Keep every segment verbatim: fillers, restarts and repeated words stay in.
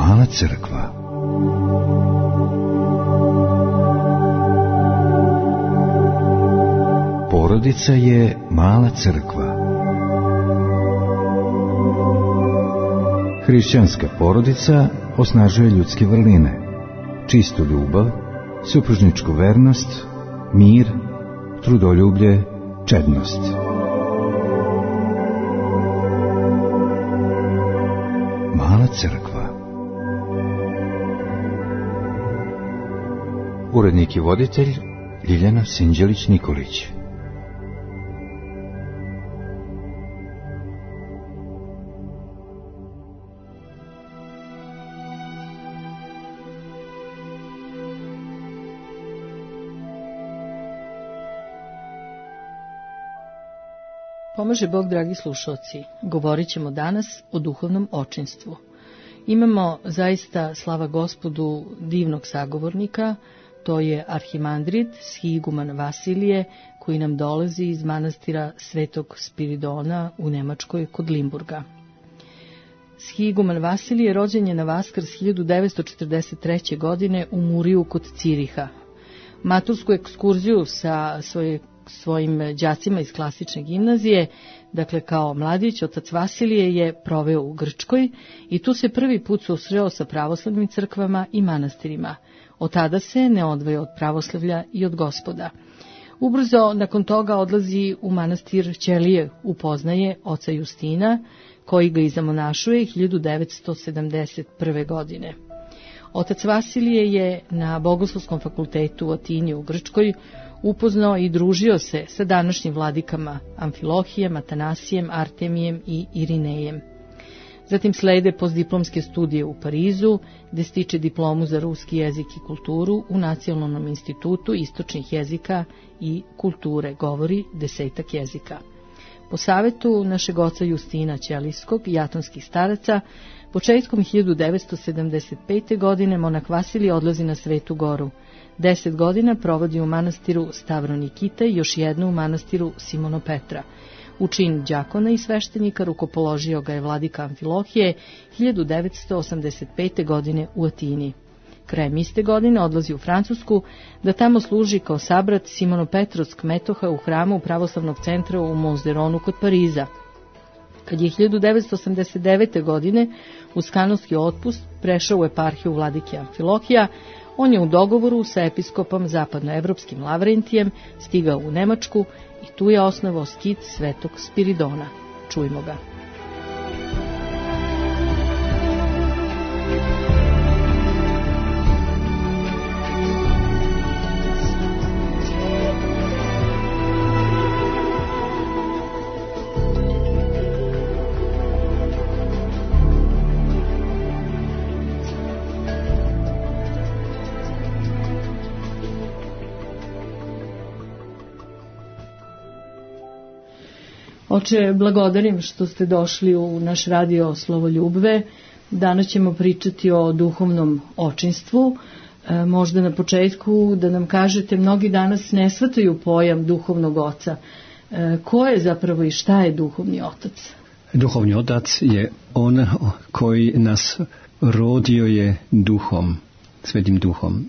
Mala crkva. Porodica je mala crkva. Hrišćanska porodica osnažuje ljudske vrline, čistu ljubav, supružničku vernost, mir, trudoljublje, čednost. Mala crkva. Urednik i voditelj Ljiljana Sinđelić-Nikolić. Pomaže Bog, dragi slušalci, govorit ćemo danas o duhovnom očinstvu. Imamo zaista, slava Gospodu, divnog sagovornika, to je arhimandrit Shiguman Vasilije, koji nam dolazi iz manastira Svetog Spiridona u Nemačkoj kod Limburga. Shiguman Vasilije rođen je na Vaskrs hiljadu devetsto četrdeset treće. godine u Muriju kod Ciriha. Matursku ekskurziju sa svoje svojim đacima iz klasične gimnazije, dakle kao mladić, otac Vasilije je proveo u Grčkoj i tu se prvi put susreo sa pravoslavnim crkvama i manastirima. Od tada se ne odvaja od pravoslavlja i od Gospoda. Ubrzo nakon toga odlazi u manastir Ćelije, upoznaje oca Justina, koji ga i zamonašuje hiljadu devetsto sedamdeset prve. godine. Otac Vasilije je na Bogoslovskom fakultetu u Atini u Grčkoj upoznao i družio se sa današnjim vladikama Amfilohijem, Atanasijem, Artemijem i Irinejem. Zatim slede postdiplomske studije u Parizu, gde stiče diplomu za ruski jezik i kulturu u Nacionalnom institutu istočnih jezika i kulture, govori desetak jezika. Po savetu našeg oca Justina Ćelijskog i atonskih staraca, početkom hiljadu devetsto sedamdeset pete. godine monak Vasilije odlazi na Svetu Goru. Deset godina provodi u manastiru Stavronikita i još jednu u manastiru Simono Petra. U čin đakona i sveštenika rukopoložio ga je vladika Amfilohije hiljadu devetsto osamdeset pete. godine u Atini. Krajem iste godine odlazi u Francusku da tamo služi kao sabrat Simono-Petrovsk metoha u hramu pravoslavnog centra u Monzeronu kod Pariza. Kad je hiljadu devetsto osamdeset devete. godine uz kanonski otpust prešao u eparhiju vladike Amfilohija, on je u dogovoru sa episkopom zapadnoevropskim Lavrentijem stigao u Nemačku i tu je osnovao skit Svetog Spiridona. Čujmo ga. Oče, blagodarim što ste došli u naš radio Slovo Ljubve. Danas ćemo pričati o duhovnom očinstvu. E, možda na početku da nam kažete, mnogi danas ne shvataju pojam duhovnog oca. E, ko je zapravo i šta je duhovni otac? Duhovni otac je on koji nas rodio je duhom, svetim duhom.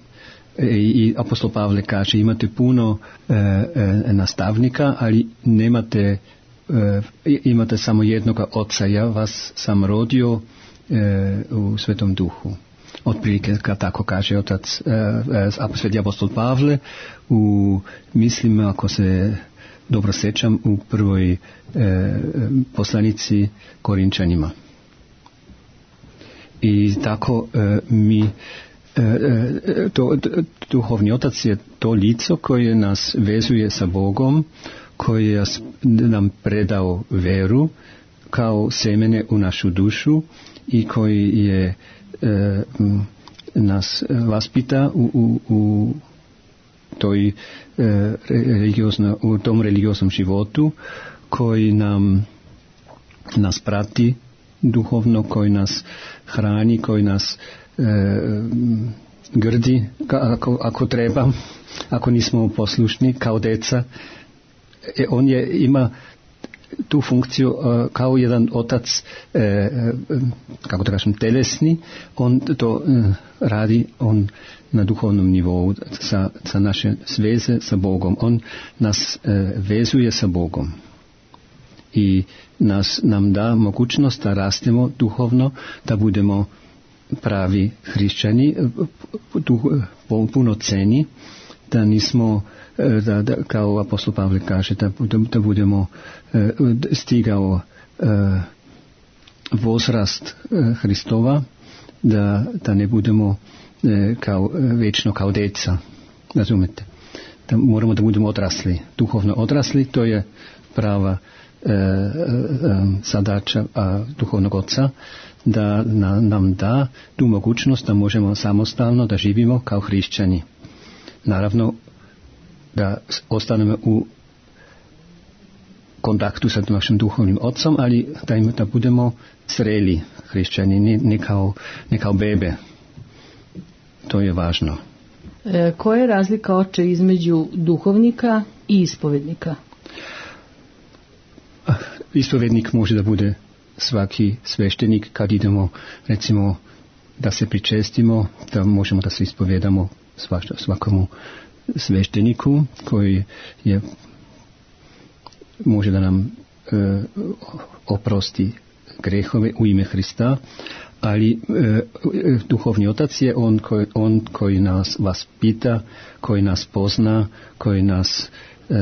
I apostol Pavle kaže, imate puno e, e, nastavnika, ali nemate imate samo jednoga oca, ja vas sam rodio e, u Svetom Duhu. Otprilike tako kaže otac e, sveti apostol Pavle u, mislim, ako se dobro sećam, u prvoj e, poslanici Korinčanima. I tako e, mi e, to, duhovni otac je to lice koje nas vezuje sa Bogom, koji je nam predao veru kao semene u našu dušu i koji je e, nas vaspita u, u, u, toj, e, religiozno, u tom religioznom životu, koji nam nas prati duhovno, koji nas hrani, koji nas e, grdi ako, ako treba, ako nismo poslušni kao deca. On je, ima tu funkciju uh, kao jedan otac, uh, uh, kako da kažem, telesni, on to uh, radi on na duhovnom nivou sa, sa naše sveze sa Bogom. On nas uh, vezuje sa Bogom i nas, nam da mogućnost da rastemo duhovno, da budemo pravi hrišćani, punoceni, da nismo, da, da, kao apostol Pavle kaže, da, da budemo stigao возраст Hristova, da, da ne budemo kao, večno kao deca, razumete? Da moramo da budemo odrasli, duhovno odrasli, to je prava e, e, zadaća a, duhovnog oca, da na, nam da tu mogućnost da možemo samostalno da živimo kao hrišćani. Naravno da ostanemo u kontaktu sa našim duhovnim ocom, ali da, im, da budemo zreli hrišćani, ne, ne, kao, ne kao bebe. To je važno. E, koja je razlika, oče, između duhovnika i ispovednika? Ispovednik može da bude svaki sveštenik kad idemo, recimo, da se pričestimo, da možemo da se ispovedamo svakomu svešteniku koji je, može da nam e, oprosti grehove u ime Hrista, ali e, duhovni otac je on koji, on koji nas vas pita, koji nas pozna, koji nas e,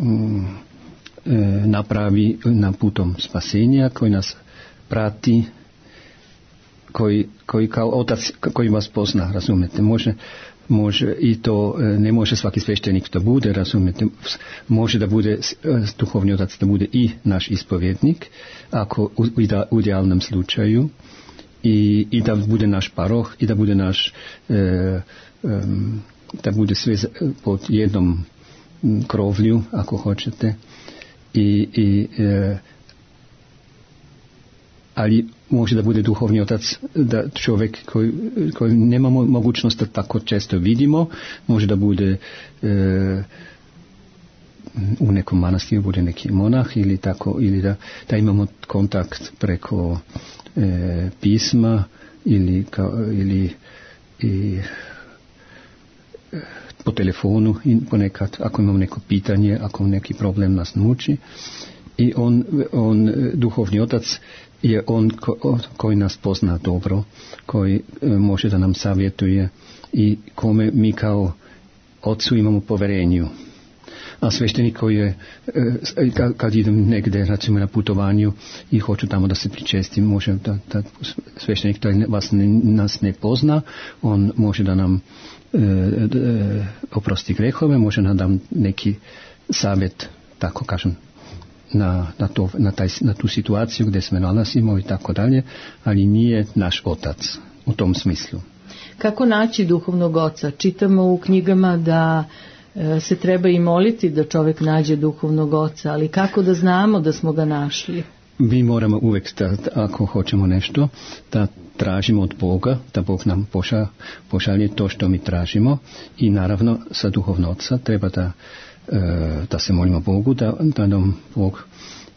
m, e, napravi na putom spasenja, koji nas prati, koji, koji kao otac koji vas pozna, razumete, može može i to ne može svaki sveštenik da bude, razumete, može da bude duhovni otac, da bude i naš ispovjednik, ako u, u idealnom slučaju, i, i da bude naš paroh, i da bude naš e, e, da bude sve pod jednom krovlju, ako hoćete, i, i e, ali može da bude duhovni otac, da čovjek koji, koji nemamo mogućnost da tako često vidimo, može da bude e, u nekom manastiru, bude neki monah ili tako, ili da, da imamo kontakt preko e, pisma ili, kao, ili i, po telefonu i ponekad ako imamo neko pitanje, ako neki problem nas muči, i on, on duhovni otac je on ko, koji nas pozna dobro, koji e, može da nam savjetuje i kome mi kao ocu imamo poverenju. A sveštenik koji je, e, kad, kad idem negde, recimo na putovanju i hoću tamo da se pričestim, može da, da sveštenik koji vas ne, nas ne pozna, on može da nam e, e, oprosti grehove, može da nam neki savjet, tako kažem, Na, na, to, na, taj, na tu situaciju gdje se nalazimo i tako dalje, ali nije naš otac u tom smislu. Kako naći duhovnog oca? Čitamo u knjigama da e, se treba i moliti da čovjek nađe duhovnog oca, ali kako da znamo da smo ga našli? Mi moramo uvijek, da, ako hoćemo nešto, da tražimo od Boga, da Bog nam poša, pošalje to što mi tražimo, i naravno sa duhovnog oca treba da da se molimo Bogu da, da nam Bog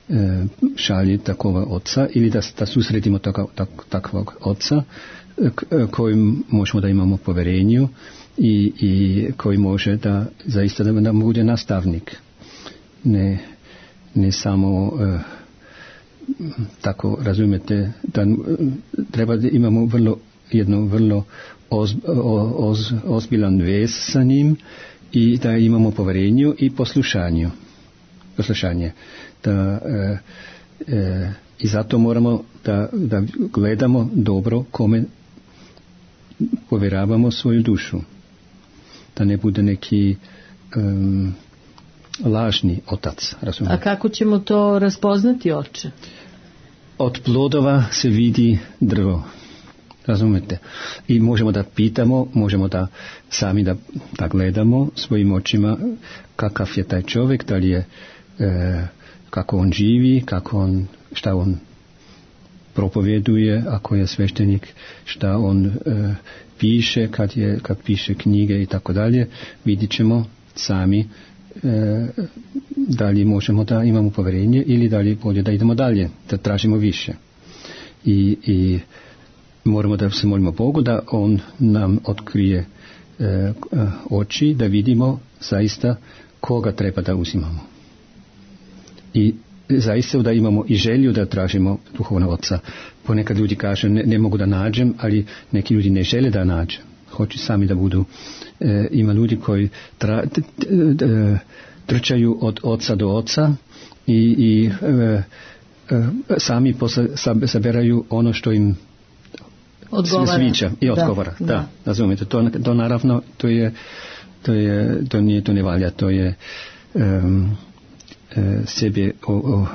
e, šalje takvog oca, ili da, da susretimo taka, tak, takvog oca kojim možemo da imamo poverenju i, i koji može da zaista da nam bude nastavnik, ne, ne samo e, tako, razumijete, da treba da imamo vrlo, jedno vrlo oz, oz, ozbiljan vez sa njim i da imamo poverenju i poslušanju. Poslušanje. Da, e, e, i zato moramo da, da gledamo dobro kome povjeravamo svoju dušu. Da ne bude neki um, lažni otac. Razumijete? A kako ćemo to raspoznati, oče? Od plodova se vidi drvo. Razumete? I možemo da pitamo, možemo da sami da, da gledamo svojim očima kakav je taj čovjek, da li je, e, kako on živi, kako on, šta on propovjeduje, ako je sveštenik, šta on e, piše, kad, je, kad piše knjige i tako dalje. Vidit ćemo sami e, da li možemo da imamo povjerenje ili da li je bolje da idemo dalje, da tražimo više. I, i moramo da se molimo Bogu da On nam otkrije e, oči, da vidimo zaista koga treba da uzimamo. I zaista da imamo i želju da tražimo duhovnog oca. Ponekad ljudi kažu ne, ne mogu da nađem, ali neki ljudi ne žele da nađe. Hoće sami da budu. E, ima ljudi koji tra, t, t, t, trčaju od oca do oca i, i e, e, sami posle saberaju ono što im odgovara. Sviđa i odgovara. Da, da. Razumijete, to, to naravno to je to je to nije to ne valja, to je um, e, sebe o, o,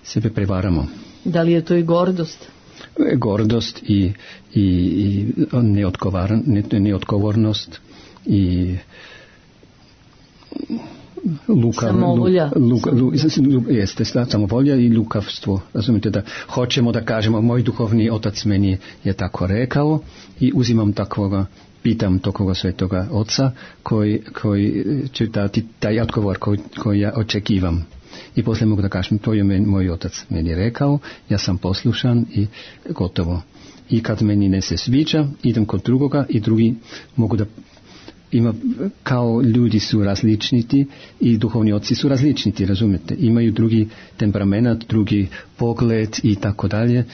sebe prevaramo. Da li je to i gordost? Gordost i, i, i neodgovornost i luka, samovolja. Luka, lu, lu, jeste, samovolja i lukavstvo. Razumite da hoćemo da kažemo moj duhovni otac meni je tako rekao i uzimam takvoga, pitam tokoga svetoga oca koji, koji će dati taj odgovor koji, koji ja očekivam. I poslije mogu da kažem, to je men, moj otac meni rekao, ja sam poslušan i gotovo. I kad meni ne se sviđa, idem kod drugoga i drugi mogu da ima, kao ljudi su različniti i duhovni oci su različniti, razumijete? Imaju drugi temperament, drugi pogled i tako dalje,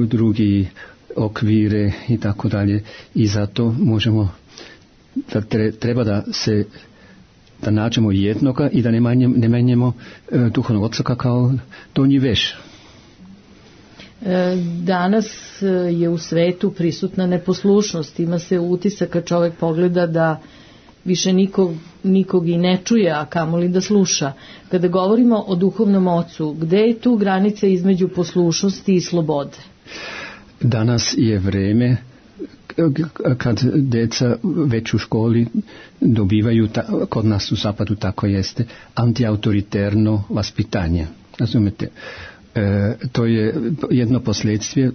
drugi okvire i tako dalje. I zato možemo, da treba da se da nađemo jednoga i da ne manjemo, ne menjemo e, duhovnog oca kao donji veš. Danas je u svetu prisutna neposlušnost. Ima se utisak kad čovjek pogleda da više nikog, nikog i ne čuje, a kamoli da sluša. Kada govorimo o duhovnom ocu, gde je tu granica između poslušnosti i slobode? Danas je vreme kad deca već u školi dobivaju, ta, kod nas u zapadu tako jeste, antiautoritarno vaspitanje. Razumete? E, to je jedno posljedstve,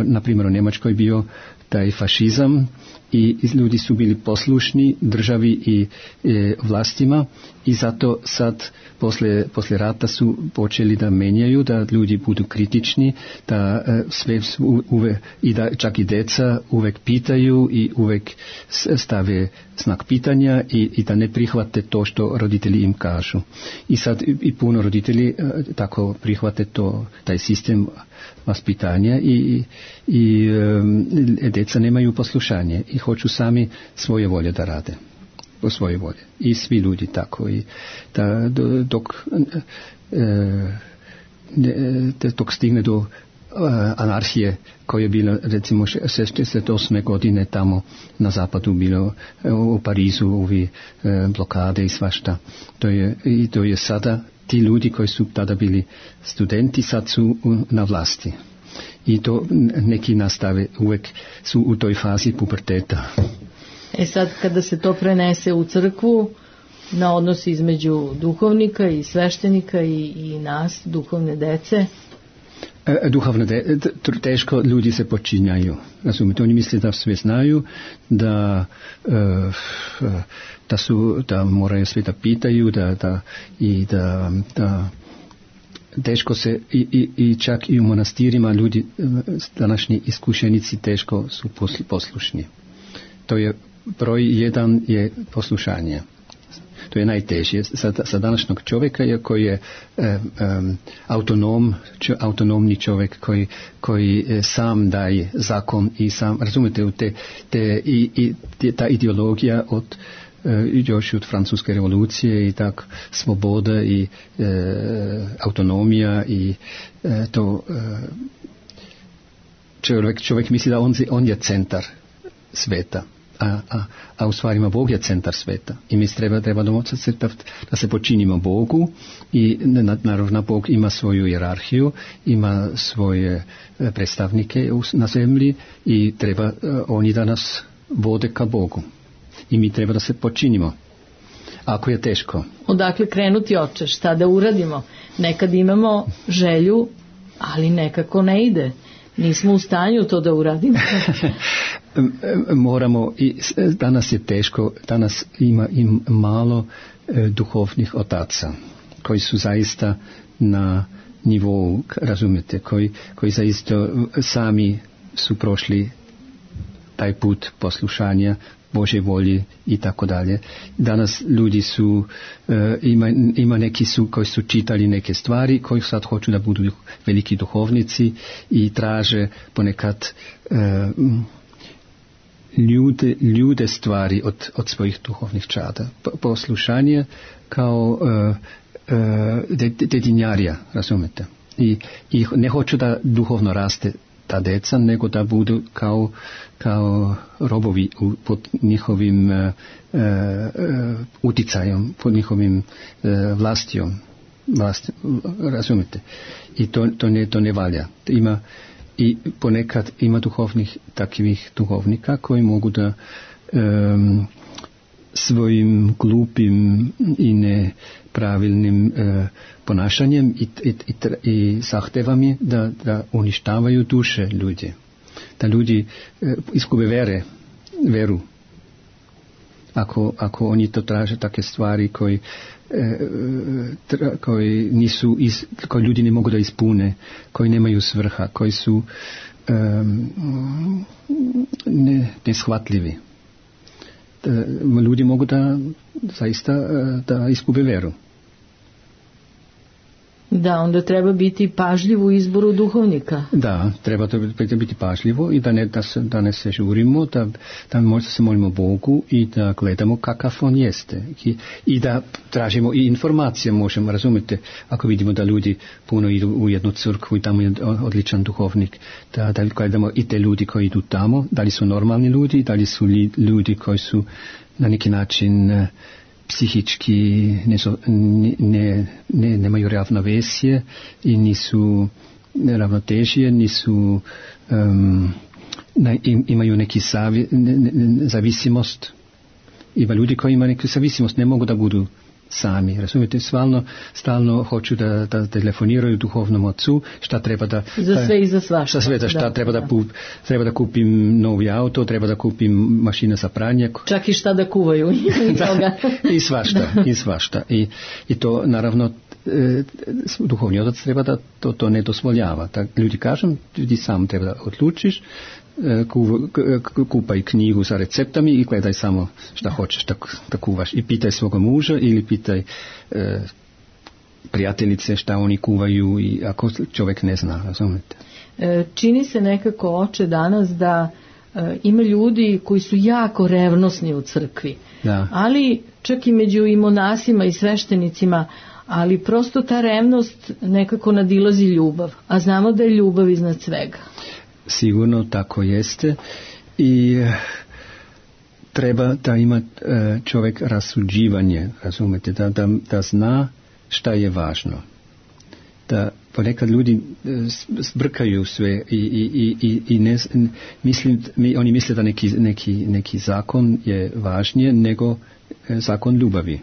na primjer u Njemačkoj bio taj fašizam i ljudi su bili poslušni državi i e, vlastima i zato sad posle, posle rata su počeli da menjaju, da ljudi budu kritični, da e, sve uve, i da čak i deca uvek pitaju i uvek stave znak pitanja i, i da ne prihvate to što roditelji im kažu. I sad i, i puno roditelji e, tako prihvate to, taj sistem vaspitanja i, i e, deca nemaju poslušanje i hoću sami svoje volje da rade. Po svoje volje. I svi ljudi tako. I da, dok, e, dok stigne do anarhije koja je bila recimo šezdeset osme godine tamo na zapadu bilo u Parizu ovi blokade i svašta. To je, i to je sada ti ljudi koji su tada bili studenti sad su na vlasti. I to neki nastave uvek su u toj fazi puberteta. E sad kada se to prenese u crkvu na odnos između duhovnika i sveštenika i, i nas, duhovne dece? E, duhovne de, teško ljudi se počinjaju. Razumite, oni misle da sve znaju, da, e, da, su, da moraju sve da pitaju da, da, i da, da teško se i, i, i čak i u monastirima ljudi, današnji iskušenici teško su poslušni. To je broj jedan je poslušanje. To je najteže. Za, za današnjeg čovjeka je koji je e, um, autonom, čo, autonomni čovjek koji, koji e, sam daje zakon i sam, razumite, te, te, i, i, te, ta ideologija od e, još od francuske revolucije i tak sloboda i e, autonomija i e, to e, čovjek, čovjek misli da on, on je centar sveta. A, a, a u stvari ima Bog je centar sveta i mi treba, treba domoći se da, da se počinimo Bogu i naravno Bog ima svoju hijerarhiju, ima svoje predstavnike na zemlji i treba oni da nas vode ka Bogu i mi treba da se počinimo ako je teško. Odakle krenuti, oče, šta da uradimo? Nekad imamo želju, ali nekako ne ide. Nismo u stanju to da uradimo. moramo, i danas je teško, danas ima, ima malo e, duhovnih otaca koji su zaista na nivou, razumete, koji, koji zaista sami su prošli taj put poslušanja Božje volje i tako dalje. Danas ljudi su, e, ima, ima neki su koji su čitali neke stvari, koji sad hoću da budu veliki duhovnici i traže ponekad e, ljude, ljude stvari od, od svojih duhovnih čada. Poslušanje kao e, e, dedinjarija, razumete? I, I ne hoću da duhovno raste ta deca, nego da budu kao, kao robovi u, pod njihovim e, e, uticajem, pod njihovim e, vlastijom, vlast, razumite. I to, to, ne, to ne valja. Ima, i ponekad ima duhovnih, takvih duhovnika koji mogu da e, svojim glupim i nepravilnim e, ponašanjem i, i, i, i zahtevami da, da uništavaju duše ljudi. Da ljudi e, izgube vere, veru. Ako, ako oni to traže takve stvari koji, e, tra, koji nisu, iz, koji ljudi ne mogu da ispune, koji nemaju svrha, koji su e, ne, neshvatljivi. Ljudi mogu da zaista da izgube veru. Da, onda treba biti pažljiv u izboru duhovnika. Da, treba to biti pažljivo i da ne, da se, da ne se žurimo, da, da možda se molimo Bogu i da gledamo kakav on jeste. I, i da tražimo i informacije, možemo, razumjeti, ako vidimo da ljudi puno idu u jednu crkvu i tamo je odličan duhovnik, da, da gledamo i te ljudi koji idu tamo, da li su normalni ljudi, da li su li, ljudi koji su na neki način psihički ne, ne, ne, nemaju ravnovesje i nisu ravnotežije, nisu um, ne, imaju neki zavi, ne, ne, zavisimost. Ima ljudi koji imaju neku zavisimost, ne mogu da budu sami, razumijete, stalno, stalno hoću da, da telefoniraju duhovnom ocu, šta treba da... Za sve i za svašta. Šta sve da, šta da, treba da, da, treba da kupim novi auto, treba da kupim mašina za pranje. Čak i šta da kuvaju. Da, i svašta, i svašta. I, i to, naravno, e, duhovni otac treba da to, to ne dozvoljava. Tak, ljudi kažem, ljudi sam treba da odlučiš, kupaj knjigu sa receptami i gledaj samo šta hoćeš da, da kuvaš. I pitaj svoga muža ili pitaj e, prijateljice šta oni kuvaju i ako čovjek ne zna, razumete. E, čini se nekako, oče, danas da e, ima ljudi koji su jako revnosni u crkvi. Da. Ali čak i među i monasima i sveštenicima, ali prosto ta revnost nekako nadilazi ljubav. A znamo da je ljubav iznad svega. Sigurno tako jeste i treba da ima čovjek rasuđivanje, razumete, da, da, da zna šta je važno. Da ponekad ljudi zbrkaju sve i, i, i, i ne, mislim, oni misle da neki, neki, neki zakon je važnije nego zakon ljubavi.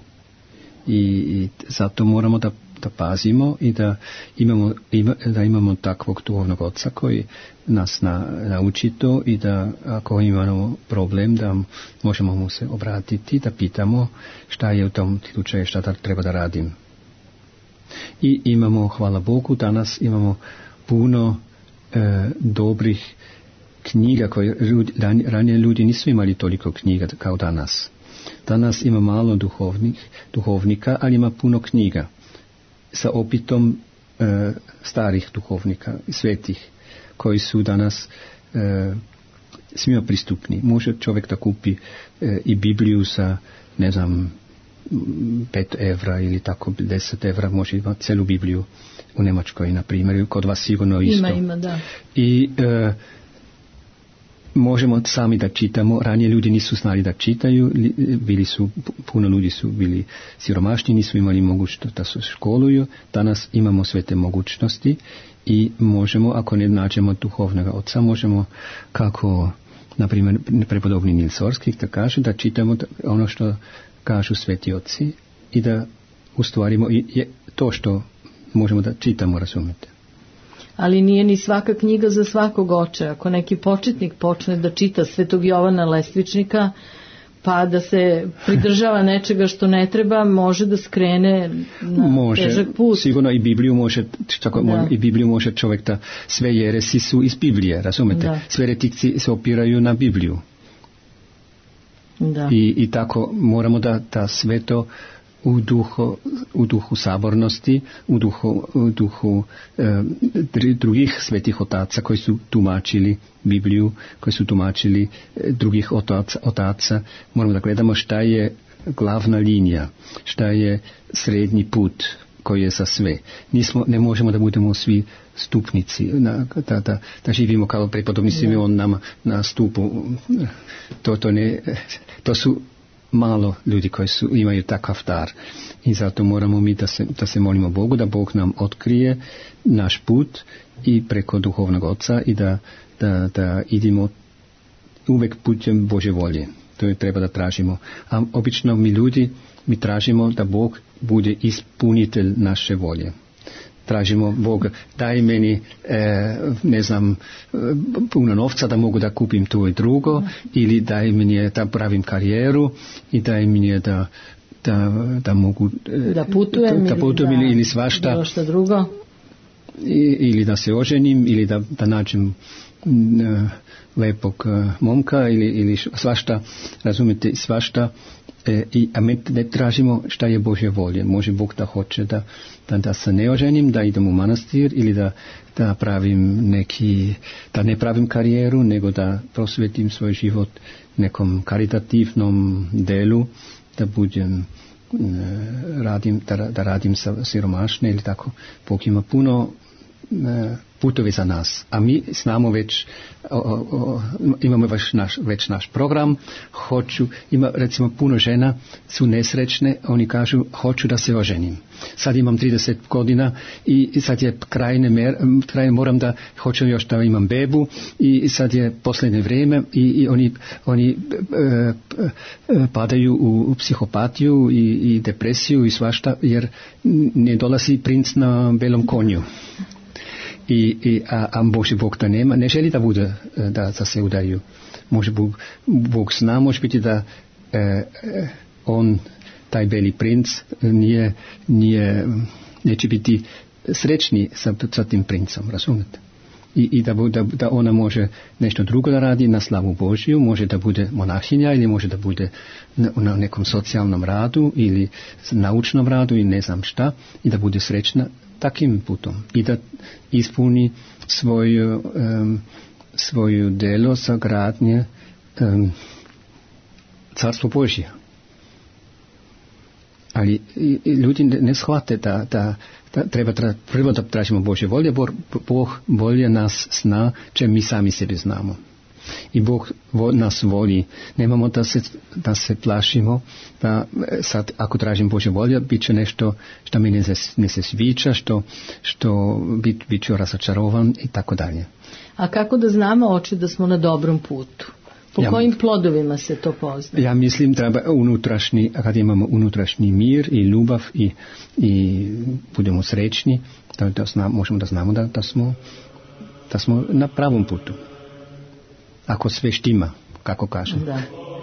I, i zato moramo da da pazimo i da imamo, ima, da imamo takvog duhovnog oca koji nas na, nauči to i da ako imamo problem da možemo mu se obratiti, da pitamo šta je u tom slučaju, šta da treba da radim. I imamo, hvala Bogu, danas imamo puno e, dobrih knjiga koje ljudi, ranije ljudi nisu imali toliko knjiga kao danas. Danas ima malo duhovnih, duhovnika, ali ima puno knjiga sa opitom e, starih duhovnika, svetih, koji su danas e, svima pristupni. Može čovjek da kupi e, i Bibliju sa, ne znam, pet evra ili tako deset evra, može imati celu Bibliju u Njemačkoj, na primjer, kod vas sigurno isto. Ima, ima, da. I e, možemo sami da čitamo, ranije ljudi nisu znali da čitaju, bili su, puno ljudi su bili siromašni, nisu imali mogućnost da se školuju, danas imamo sve te mogućnosti i možemo, ako ne nađemo duhovnog oca, možemo, kako, na primjer, prepodobni Nils Orskih, da kaže da čitamo ono što kažu sveti oci i da ustvarimo i je to što možemo da čitamo, razumete. ali nije ni svaka knjiga za svakog oče. Ako neki početnik počne da čita Svetog Jovana Lestvičnika, pa da se pridržava nečega što ne treba, može da skrene na može, težak put. Sigurno i Bibliju može, tako, da. i Bibliju može čovjek da sve jeresi su iz Biblije, razumete? Da. Sve retikci se opiraju na Bibliju. Da. I, I tako moramo da, da sve to u duhu, u duhu sabornosti, u duhu, u duhu e, drugih svetih otaca koji su tumačili Bibliju, koji su tumačili e, drugih otaca, otaca, moramo da gledamo šta je glavna linija, šta je srednji put koji je za sve. Nismo, ne možemo da budemo svi stupnici, na, da, da, da živimo kao prepodobni Simeon nama na stupu. To, to, ne, to su malo ljudi koji su, imaju takav dar. I zato moramo mi da se, da se molimo Bogu, da Bog nam otkrije naš put i preko duhovnog oca i da, da, da idemo uvek putem Božje volje. To je treba da tražimo. A obično mi ljudi, mi tražimo da Bog bude ispunitelj naše volje. Tražimo Boga, daj meni, e, ne znam, puno novca da mogu da kupim to i drugo, mm. ili daj meni da pravim karijeru i daj meni da, da, da mogu e, da putujem, da putujem ili, ili svašta. Bilo što drugo. I, ili da se oženim, ili da, da nađem e, lepog e, momka, ili, ili svašta, razumite, svašta. E, i, a mi ne tražimo šta je Božje volje. Može Bog da hoće da, da, da se ne oženim, da idem u manastir ili da, da pravim neki, da ne pravim karijeru, nego da prosvetim svoj život nekom karitativnom delu, da budem e, radim, da, da radim sa siromašne ili tako. Bog ima puno e, putovi za nas, a mi znamo već, o, o, imamo već naš, već naš program, hoću, ima recimo puno žena su nesrećne, oni kažu hoću da se oženim. Sad imam trideset godina i sad je krajne, mer, krajne moram da, hoću još da imam bebu i sad je posljednje vrijeme i, i oni, oni e, e, padaju u, u psihopatiju i, i depresiju i svašta jer ne dolazi princ na belom konju. I, i, a, a Boži Bog to nema, ne želi da bude, da, da se udaju. Može Bog, Bog zna, može biti da e, on, taj beli princ, nije, nije, neće biti srećni sa, sa tim princom, razumete? I, i da, da, da ona može nešto drugo da radi na slavu Božiju, može da bude monahinja ili može da bude na, na nekom socijalnom radu ili naučnom radu i ne znam šta i da bude srećna takim putom i da ispuni svoju, um, svoju delo za gradnje um, Carstvo Božje. Ali i, i ljudi ne, ne shvate da, da, da treba tra, prvo da tražimo Božje volje, Bog, Bog bolje nas zna, če mi sami sebi znamo. I Bog vo, nas voli. Nemamo da se, da se plašimo, da sad ako tražim Božje volje, bit će nešto što mi ne se, ne se sviđa, što, što bit, bit ću razočarovan i tako dalje. A kako da znamo, oče, da smo na dobrom putu? Po ja, kojim plodovima se to pozna? Ja mislim treba unutrašnji, kad imamo unutrašnji mir i ljubav i, i budemo srećni, da, da zna, možemo da znamo da, da, smo, da smo na pravom putu. Ako sve štima, kako kažem. Da. Alleluja.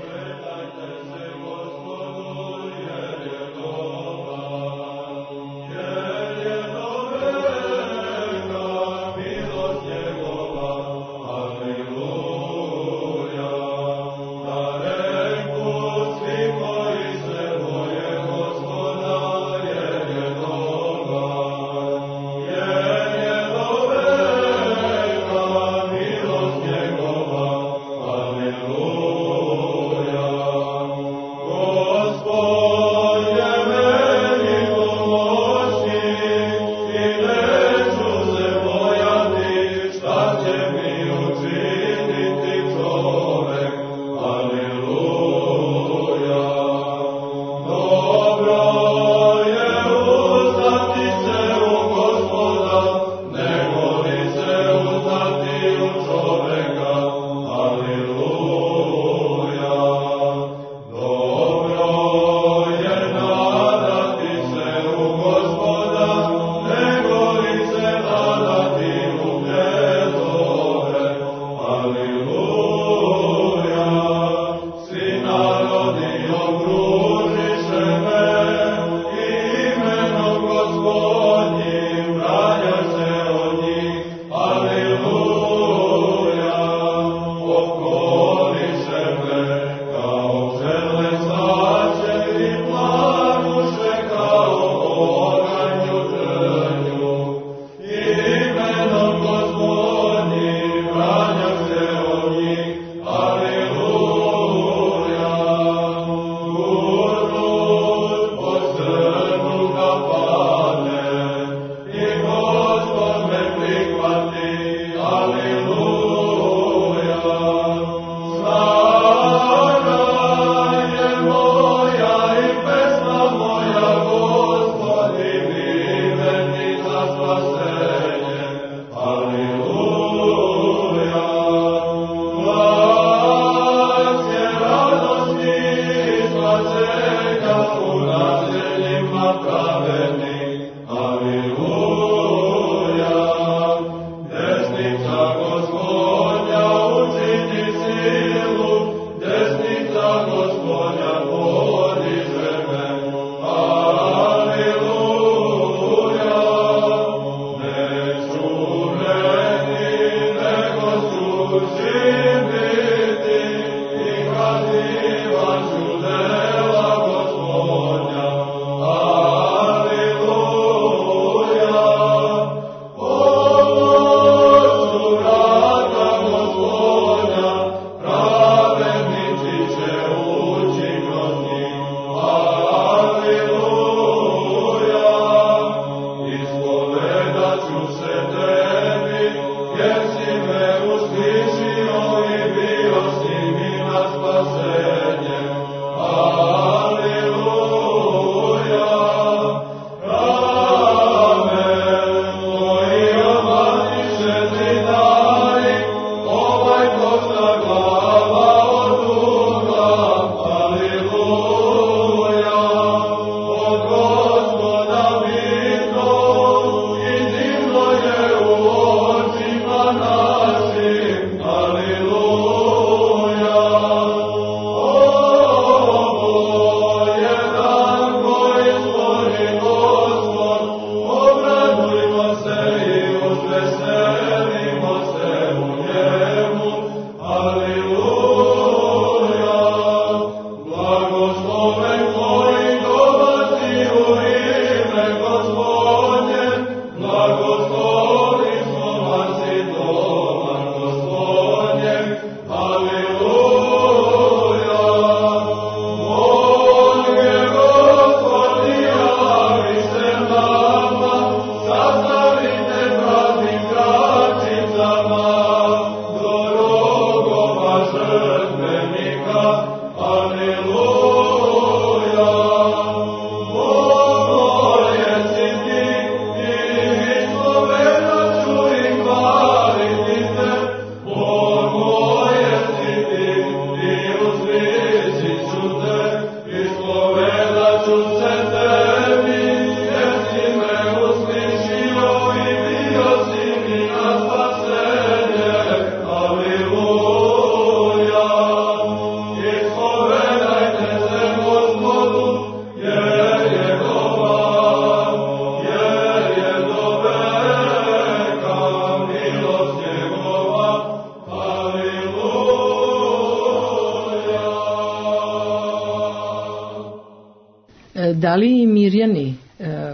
Da li Mirjani,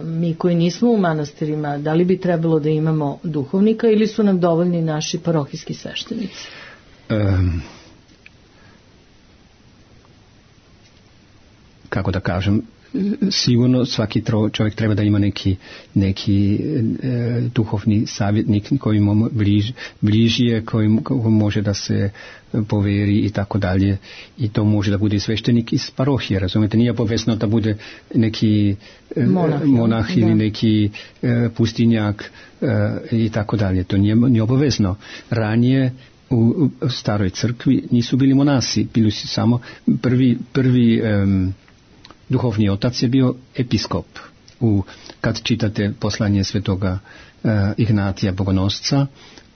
mi koji nismo u manastirima, da li bi trebalo da imamo duhovnika ili su nam dovoljni naši parohijski sveštenici? Um, kako da kažem, sigurno svaki čovjek treba da ima neki, neki e, duhovni savjetnik koji mu bliž, bližije, koji, koji može da se poveri i tako dalje, i to može da bude sveštenik iz parohije, razumete, nije obavezno da bude neki e, monah, monah ili neki e, pustinjak e, i tako dalje, to nije, nije obavezno. Ranije u, u staroj crkvi nisu bili monasi, bili su samo prvi, prvi um, duhovni otac je bio episkop. U, kad čitate poslanje svetoga uh, Ignatija Bogonosca,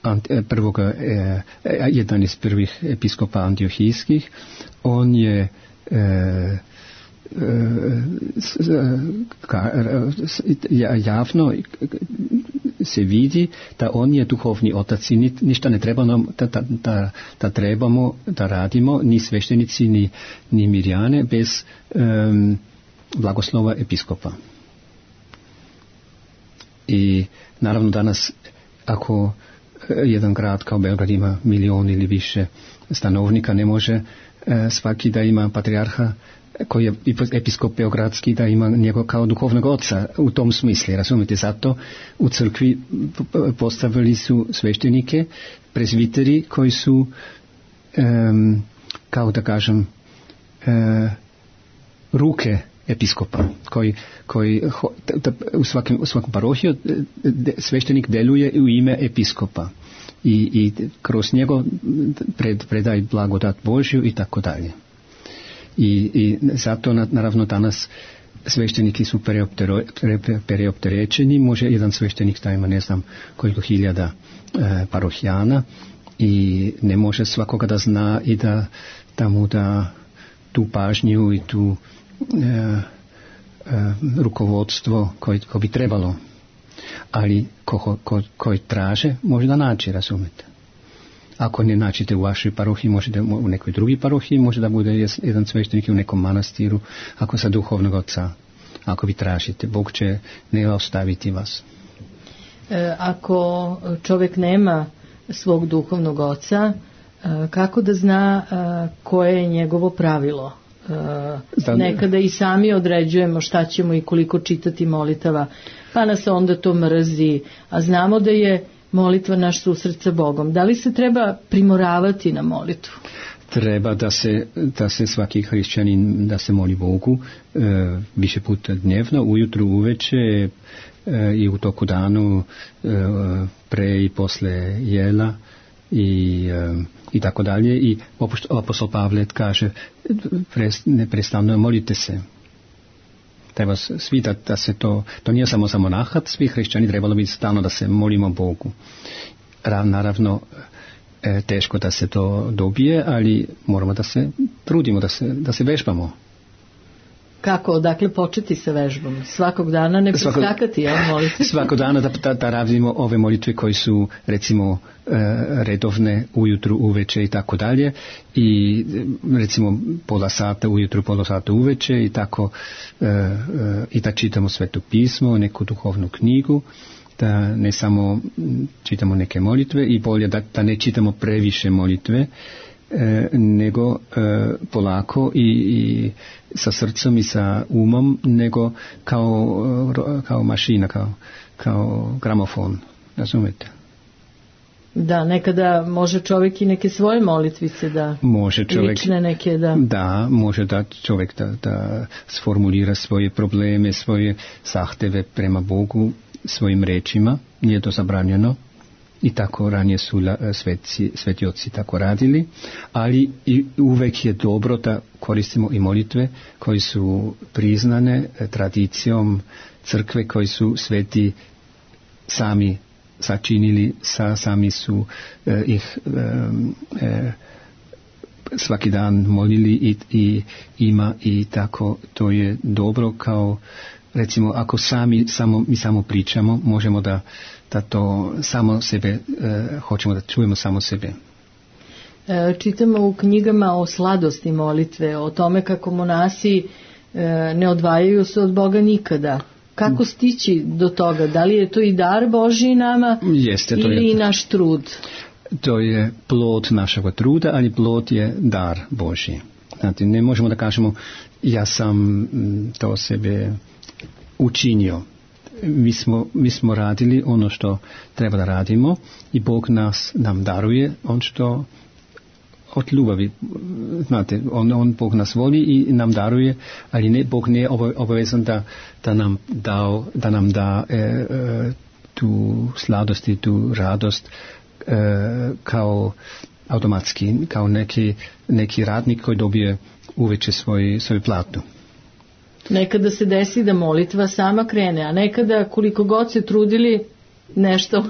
ant, prvoga, uh, jedan iz prvih episkopa antiohijskih, on je uh, javno se vidi da on je duhovni otac i ništa ne treba nam da, da, da, da trebamo da radimo, ni sveštenici ni, ni Mirjane bez um, blagoslova episkopa. I naravno danas ako jedan grad kao Beograd ima milion ili više stanovnika, ne može e, svaki da ima patrijarha koji je episkop beogradski, da ima njega kao duhovnog oca u tom smislu, razumite, zato u crkvi postavili su sveštenike, prezviteri koji su um, kao da kažem uh, ruke episkopa, koji, koji da, u, svakim, u svakom parohiju de, sveštenik deluje u ime episkopa i, i kroz njego pred, predaj blagodat Božju i tako dalje. I, i zato naravno danas svešteniki su preopterećeni, može jedan sveštenik da ima ne znam koliko hiljada e, parohijana i ne može svakoga da zna i da, da mu da tu pažnju i tu e, e, rukovodstvo koje ko bi trebalo, ali ko, ko, koji traže može da naći, razumete. Ako ne naćete u vašoj parohiji, možete u nekoj drugi parohiji, može da bude jedan sveštenik u nekom manastiru, ako sa duhovnog oca, ako vi tražite, Bog će ne ostaviti vas. E, ako čovjek nema svog duhovnog oca, e, kako da zna e, koje je njegovo pravilo? E, nekada i sami određujemo šta ćemo i koliko čitati molitava, pa nas onda to mrzi, a znamo da je molitva naš susret sa Bogom. Da li se treba primoravati na molitvu? Treba da se, da se svaki hrišćanin da se moli Bogu e, više puta dnevno, ujutru, uveče e, i u toku danu e, pre i posle jela i, e, i tako dalje. I apostol Pavle kaže pres, neprestano molite se. Treba svi da, da se to, to nije samo za monahat, svi hrišćani trebalo biti stalno da se molimo Bogu. Naravno, e, teško da se to dobije, ali moramo da se trudimo, da se, da se vežbamo. Kako, odakle početi sa vežbom? Svakog dana ne preskakati, ja moliti? Svakog dana da, da, da radimo ove molitve koji su, recimo, e, redovne ujutru, uveče i tako dalje. I, recimo, pola sata ujutru, pola sata uveče i tako, e, e, i da čitamo Sveto pismo, neku duhovnu knjigu, da ne samo čitamo neke molitve i bolje da, da ne čitamo previše molitve, E, nego e, polako i, i sa srcem i sa umom, nego kao, kao mašina, kao, kao gramofon, razumete? Da, nekada može čovjek i neke svoje molitvice da može čovjek, lične neke da... Da, može da čovjek da, da sformulira svoje probleme, svoje zahteve prema Bogu svojim rečima, nije to zabranjeno. I tako ranije su sveci, sveti oci tako radili, ali i uvek je dobro da koristimo i molitve koji su priznane tradicijom crkve, koji su sveti sami sačinili, sa, sami su eh, ih eh, eh, svaki dan molili i, i ima i tako to je dobro, kao recimo ako sami samo, mi samo pričamo, možemo da da to samo sebe, e, hoćemo da čujemo samo sebe. E, čitamo u knjigama o sladosti molitve, o tome kako monasi e, ne odvajaju se od Boga nikada. Kako stići do toga? Da li je to i dar Božji nama Jeste, to ili je, i naš trud? To je plod našega truda, ali plod je dar Božji. Znate, ne možemo da kažemo ja sam to sebe učinio. Mi smo, mi smo radili ono što treba da radimo i Bog nas nam daruje on što od ljubavi, znate, on, on Bog nas voli i nam daruje, ali ne, Bog nije obavezan da, da nam dao, da nam da e, e, tu sladost i tu radost e, kao automatski, kao neki, neki radnik koji dobije uveče svoj, svoju platu. Nekada se desi da molitva sama krene, a nekada koliko god se trudili nešto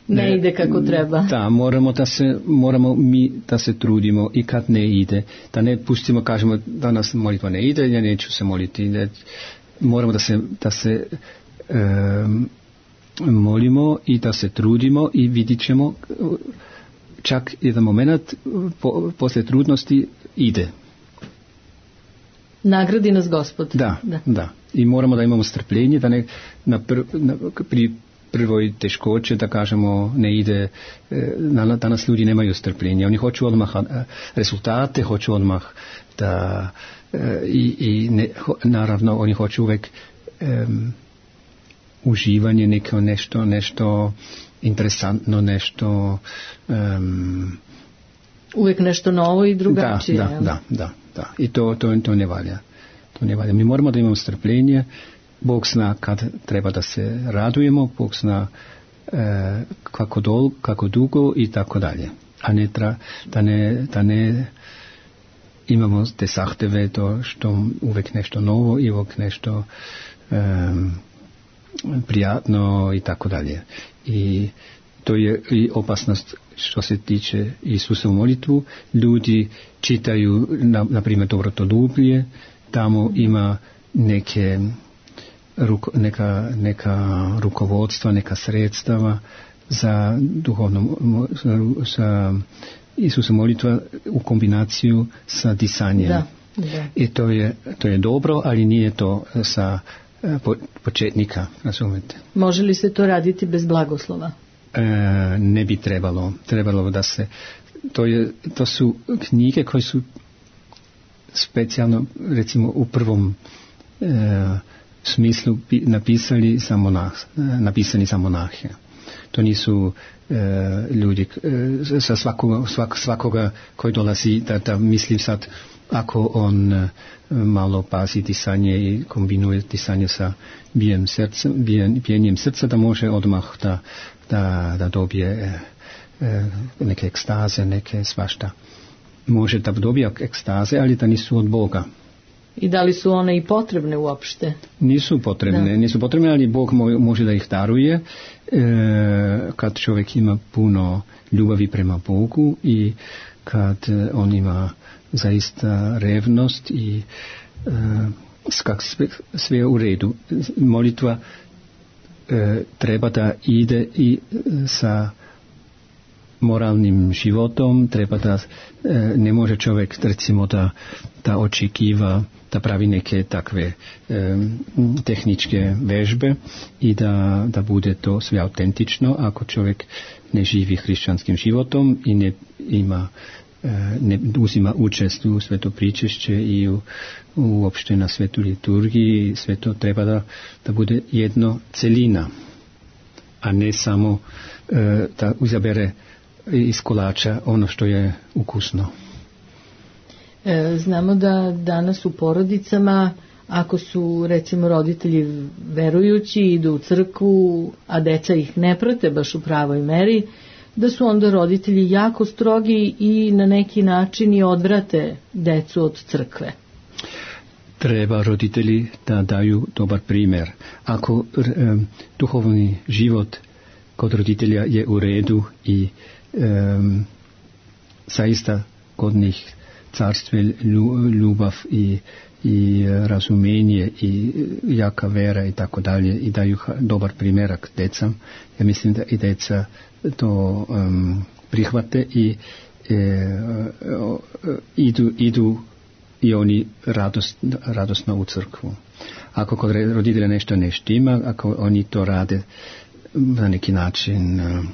ne, ne ide kako treba. Da, moramo da se, moramo mi da se trudimo i kad ne ide, da ne pustimo, kažemo da nas molitva ne ide, ja neću se moliti. Ne, moramo da se, da se um, molimo i da se trudimo i vidit ćemo čak jedan moment po, posle trudnosti ide. Nagradi nas Gospod. Da, da, da. I moramo da imamo strpljenje, da ne na pr, na, pri prvoj teškoće, da kažemo, ne ide, danas ljudi nemaju strpljenja, oni hoću odmah rezultate, hoću odmah da i, i ne, naravno oni hoću uvek um, uživanje, neko nešto, nešto interesantno, nešto um, uvijek nešto novo i drugačije. Da, da, da, da, da. I to, to, to ne valja. To ne valja. Mi moramo da imamo strpljenje. Bog zna kad treba da se radujemo, Bog zna e, kako, dol, kako dugo i tako dalje. A ne tra, da ne, da ne imamo te zahteve, to što uvijek nešto novo i uvijek nešto e, prijatno i tako dalje. I to je i opasnost što se tiče Isusa u molitvu. Ljudi čitaju, na, na primjer, dobrotoljublje, tamo ima neke, ruko, neka, neka rukovodstva, neka sredstava za duhovno, sa Isusa molitva u kombinaciju sa disanjem. Da, da. I to je, to je dobro, ali nije to sa po, početnika, razumete. Može li se to raditi bez blagoslova? E, ne bi trebalo. Trebalo da se... To, je, to su knjige koje su specijalno, recimo, u prvom e, smislu napisali za monah, napisani za monahe. To nisu e, ljudi e, sa svakoga, svak, svakoga koji dolazi da, da mislim sad ako on e, malo pazi disanje i kombinuje disanje sa bijem srca, bijen, bijenjem srca, da može odmah da, da, da dobije e, e, neke ekstaze, neke svašta. Može da dobije ekstaze, ali da nisu od Boga. I da li su one i potrebne uopšte? Nisu potrebne, da. nisu potrebne, ali Bog može da ih daruje e, kad čovjek ima puno ljubavi prema Bogu i kad on ima zaista revnost i e, kak sve, sve u redu. Molitva e, treba da ide i sa moralnim životom, treba da e, ne može čovjek recimo da, da očekiva da pravi neke takve e, tehničke vežbe i da, da bude to sve autentično ako čovjek ne živi hrišćanskim životom i ne ima e, ne uzima učest u sveto pričešće i u, uopšte na svetu liturgiji. Sve to treba da, da bude jedno celina, a ne samo e, da izabere iz kolača ono što je ukusno. E, znamo da danas u porodicama, ako su recimo roditelji verujući, idu u crkvu, a deca ih ne prate baš u pravoj meri, da su onda roditelji jako strogi i na neki način i odvrate decu od crkve. Treba roditelji da daju dobar primjer. Ako e, duhovni život kod roditelja je u redu i Um, zaista kod njih carstve ljubav i, i razumenje i jaka vera i tako dalje i daju dobar primjerak decam. Ja mislim da i deca to um, prihvate i e, o, idu, idu i oni radost, radosno u crkvu. Ako kod roditelja nešto ne štima, ako oni to rade na neki način um,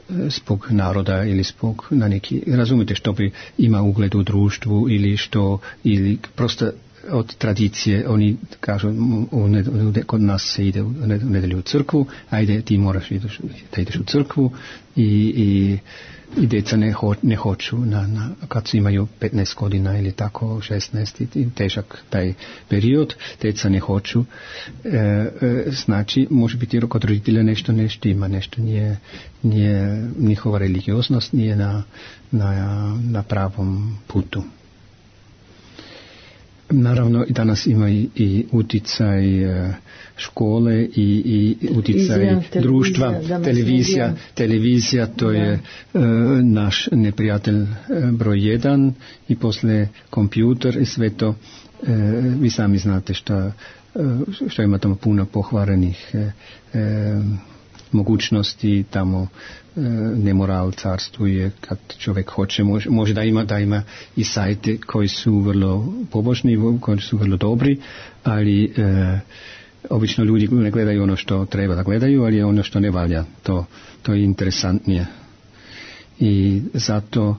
zbog naroda ili zbog na neki, razumite, što bi ima ugled u društvu ili što, ili prosto od tradicije, oni kažu u ned, kod nas se ide u nedelju u crkvu, ajde ti moraš ideš, da ideš u crkvu i, i, i deca ne, ho, ne hoću na, na, kad su imaju petnaest godina ili tako šesnaest i težak taj period, deca ne hoću, e, e, znači može biti kod roditelja nešto ne štima, nešto nije, nije njihova religioznost nije na, na, na pravom putu. Naravno, danas ima i, i uticaj škole i, i uticaj Izvijem, društva, televizija, televizija, televizija to da. je uh, naš neprijatelj uh, broj jedan i posle kompjuter i sve to, uh, vi sami znate šta, uh, što ima tamo puno pohvarenih uh, uh, mogućnosti, tamo e, nemoral carstuje kad čovjek hoće, može, može da ima da ima i sajte koji su vrlo pobožni, koji su vrlo dobri, ali e, Obično ljudi ne gledaju ono što treba da gledaju, ali je ono što ne valja. To, to je interesantnije. I zato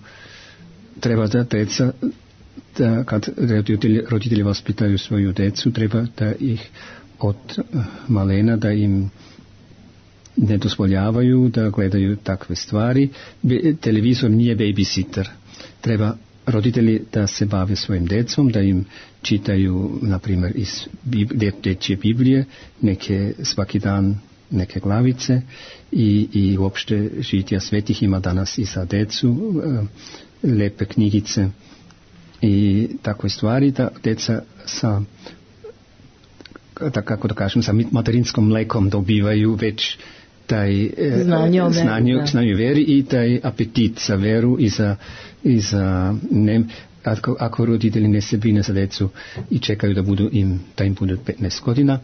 treba da deca, da kad roditelji, roditelji vaspitaju svoju decu, treba da ih od malena, da im ne dozvoljavaju da gledaju takve stvari. Televizor nije babysitter. Treba roditelji da se bave svojim decom, da im čitaju, na primjer, iz dječje Biblije, neke svaki dan neke glavice i, i uopšte žitija svetih ima danas i za decu, lepe knjigice i takve stvari, da deca sa, da, kako da kažem, sa materinskom mlekom dobivaju već taj znanje o znanje, znanje veri i taj apetit za veru i za, i za ne, ako, ako roditelji ne se brine za decu i čekaju da budu im, da im budu petnaest godina,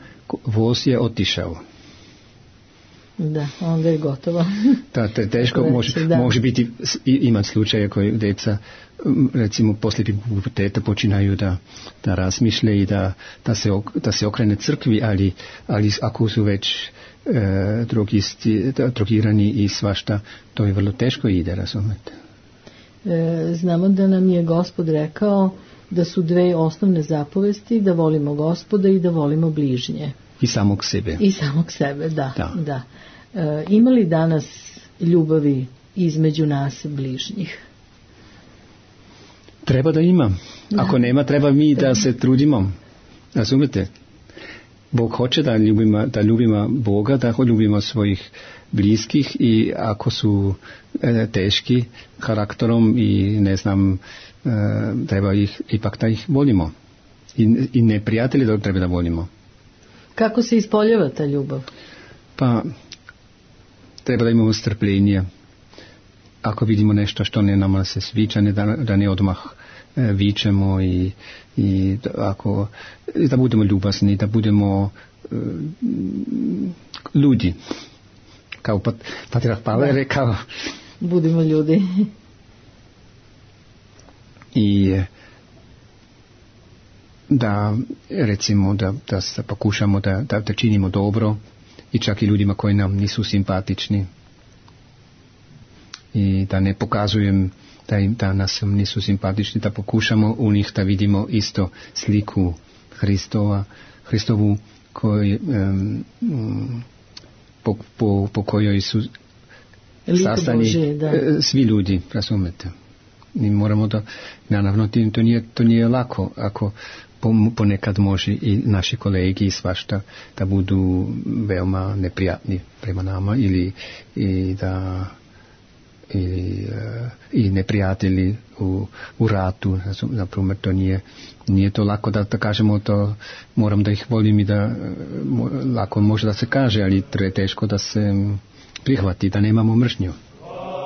voz je otišao. Da, onda je gotovo. Da, te, teško može, da. može biti, ima slučaje koji deca recimo poslije puberteta počinaju da, da razmišlja i da, da, se, da se okrene crkvi, ali, ali ako su već e, drogisti, drogirani i svašta, to je vrlo teško ide, razumete. E, znamo da nam je Gospod rekao da su dve osnovne zapovesti, da volimo Gospoda i da volimo bližnje. I samog sebe. I samog sebe, da. da. da. E, ima li danas ljubavi između nas bližnjih? Treba da ima. Ako nema, treba mi da se trudimo. Razumete? Bog hoće da ljubimo, da ljubimo Boga, da ljubimo svojih bliskih i ako su e, teški karakterom i ne znam, e, treba ih, ipak da ih volimo. I, i neprijatelji da treba da volimo. Kako se ispoljava ta ljubav? Pa, treba da imamo strpljenje. Ako vidimo nešto što ne nama se sviđa, ne da, da ne odmah e, vičemo i, i ako, da budemo ljubazni, da budemo e, ljudi. Kao pat, Patriarh Pavle je rekao. Budimo ljudi. I da recimo da, da se pokušamo da, da, da činimo dobro i čak i ljudima koji nam nisu simpatični. I da ne pokazujem da, im, da nas nisu simpatični, da pokušamo u njih da vidimo isto sliku Hristova, Hristovu koji, um, po, po, po kojoj su sastani svi ljudi, razumete. I moramo da, naravno, to nije, to nije lako, ako ponekad može i naši kolegi i svašta da budu veoma neprijatni prema nama ili i da i, i neprijatelji u, u ratu, naprimjer, to nije, nije to lako da, da kažemo to, moram da ih volim i da lako može da se kaže, ali to je teško da se prihvati, da nemamo mržnju. Oh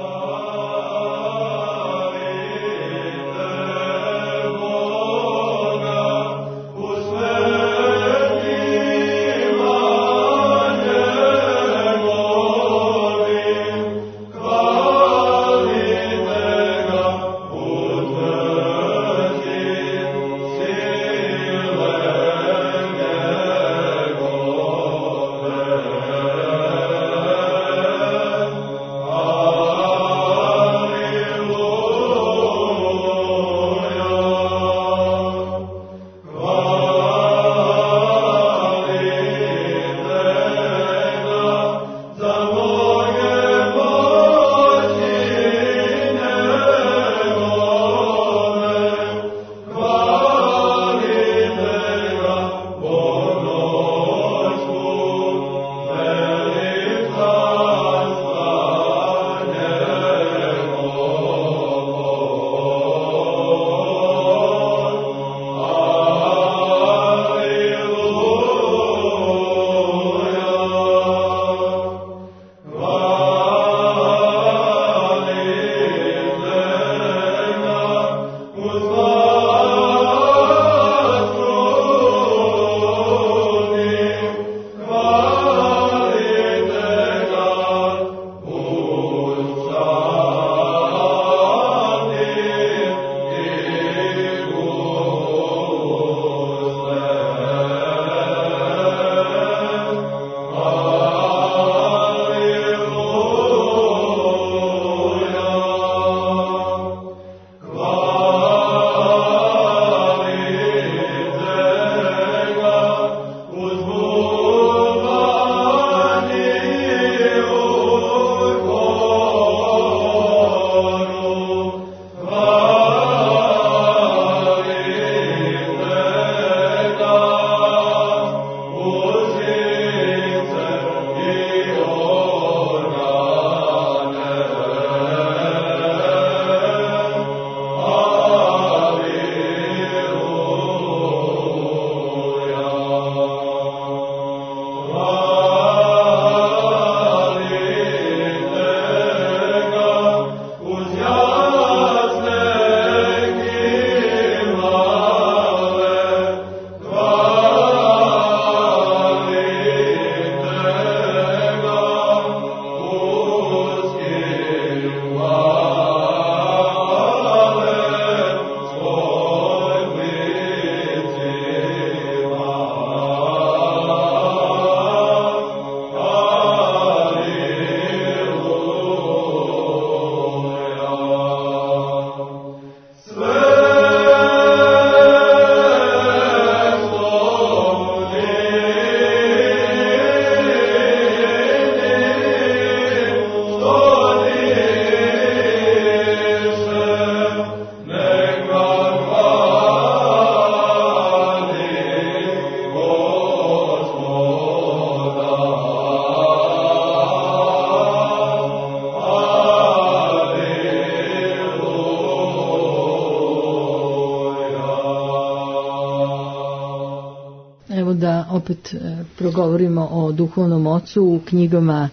da opet progovorimo o duhovnom ocu. U knjigama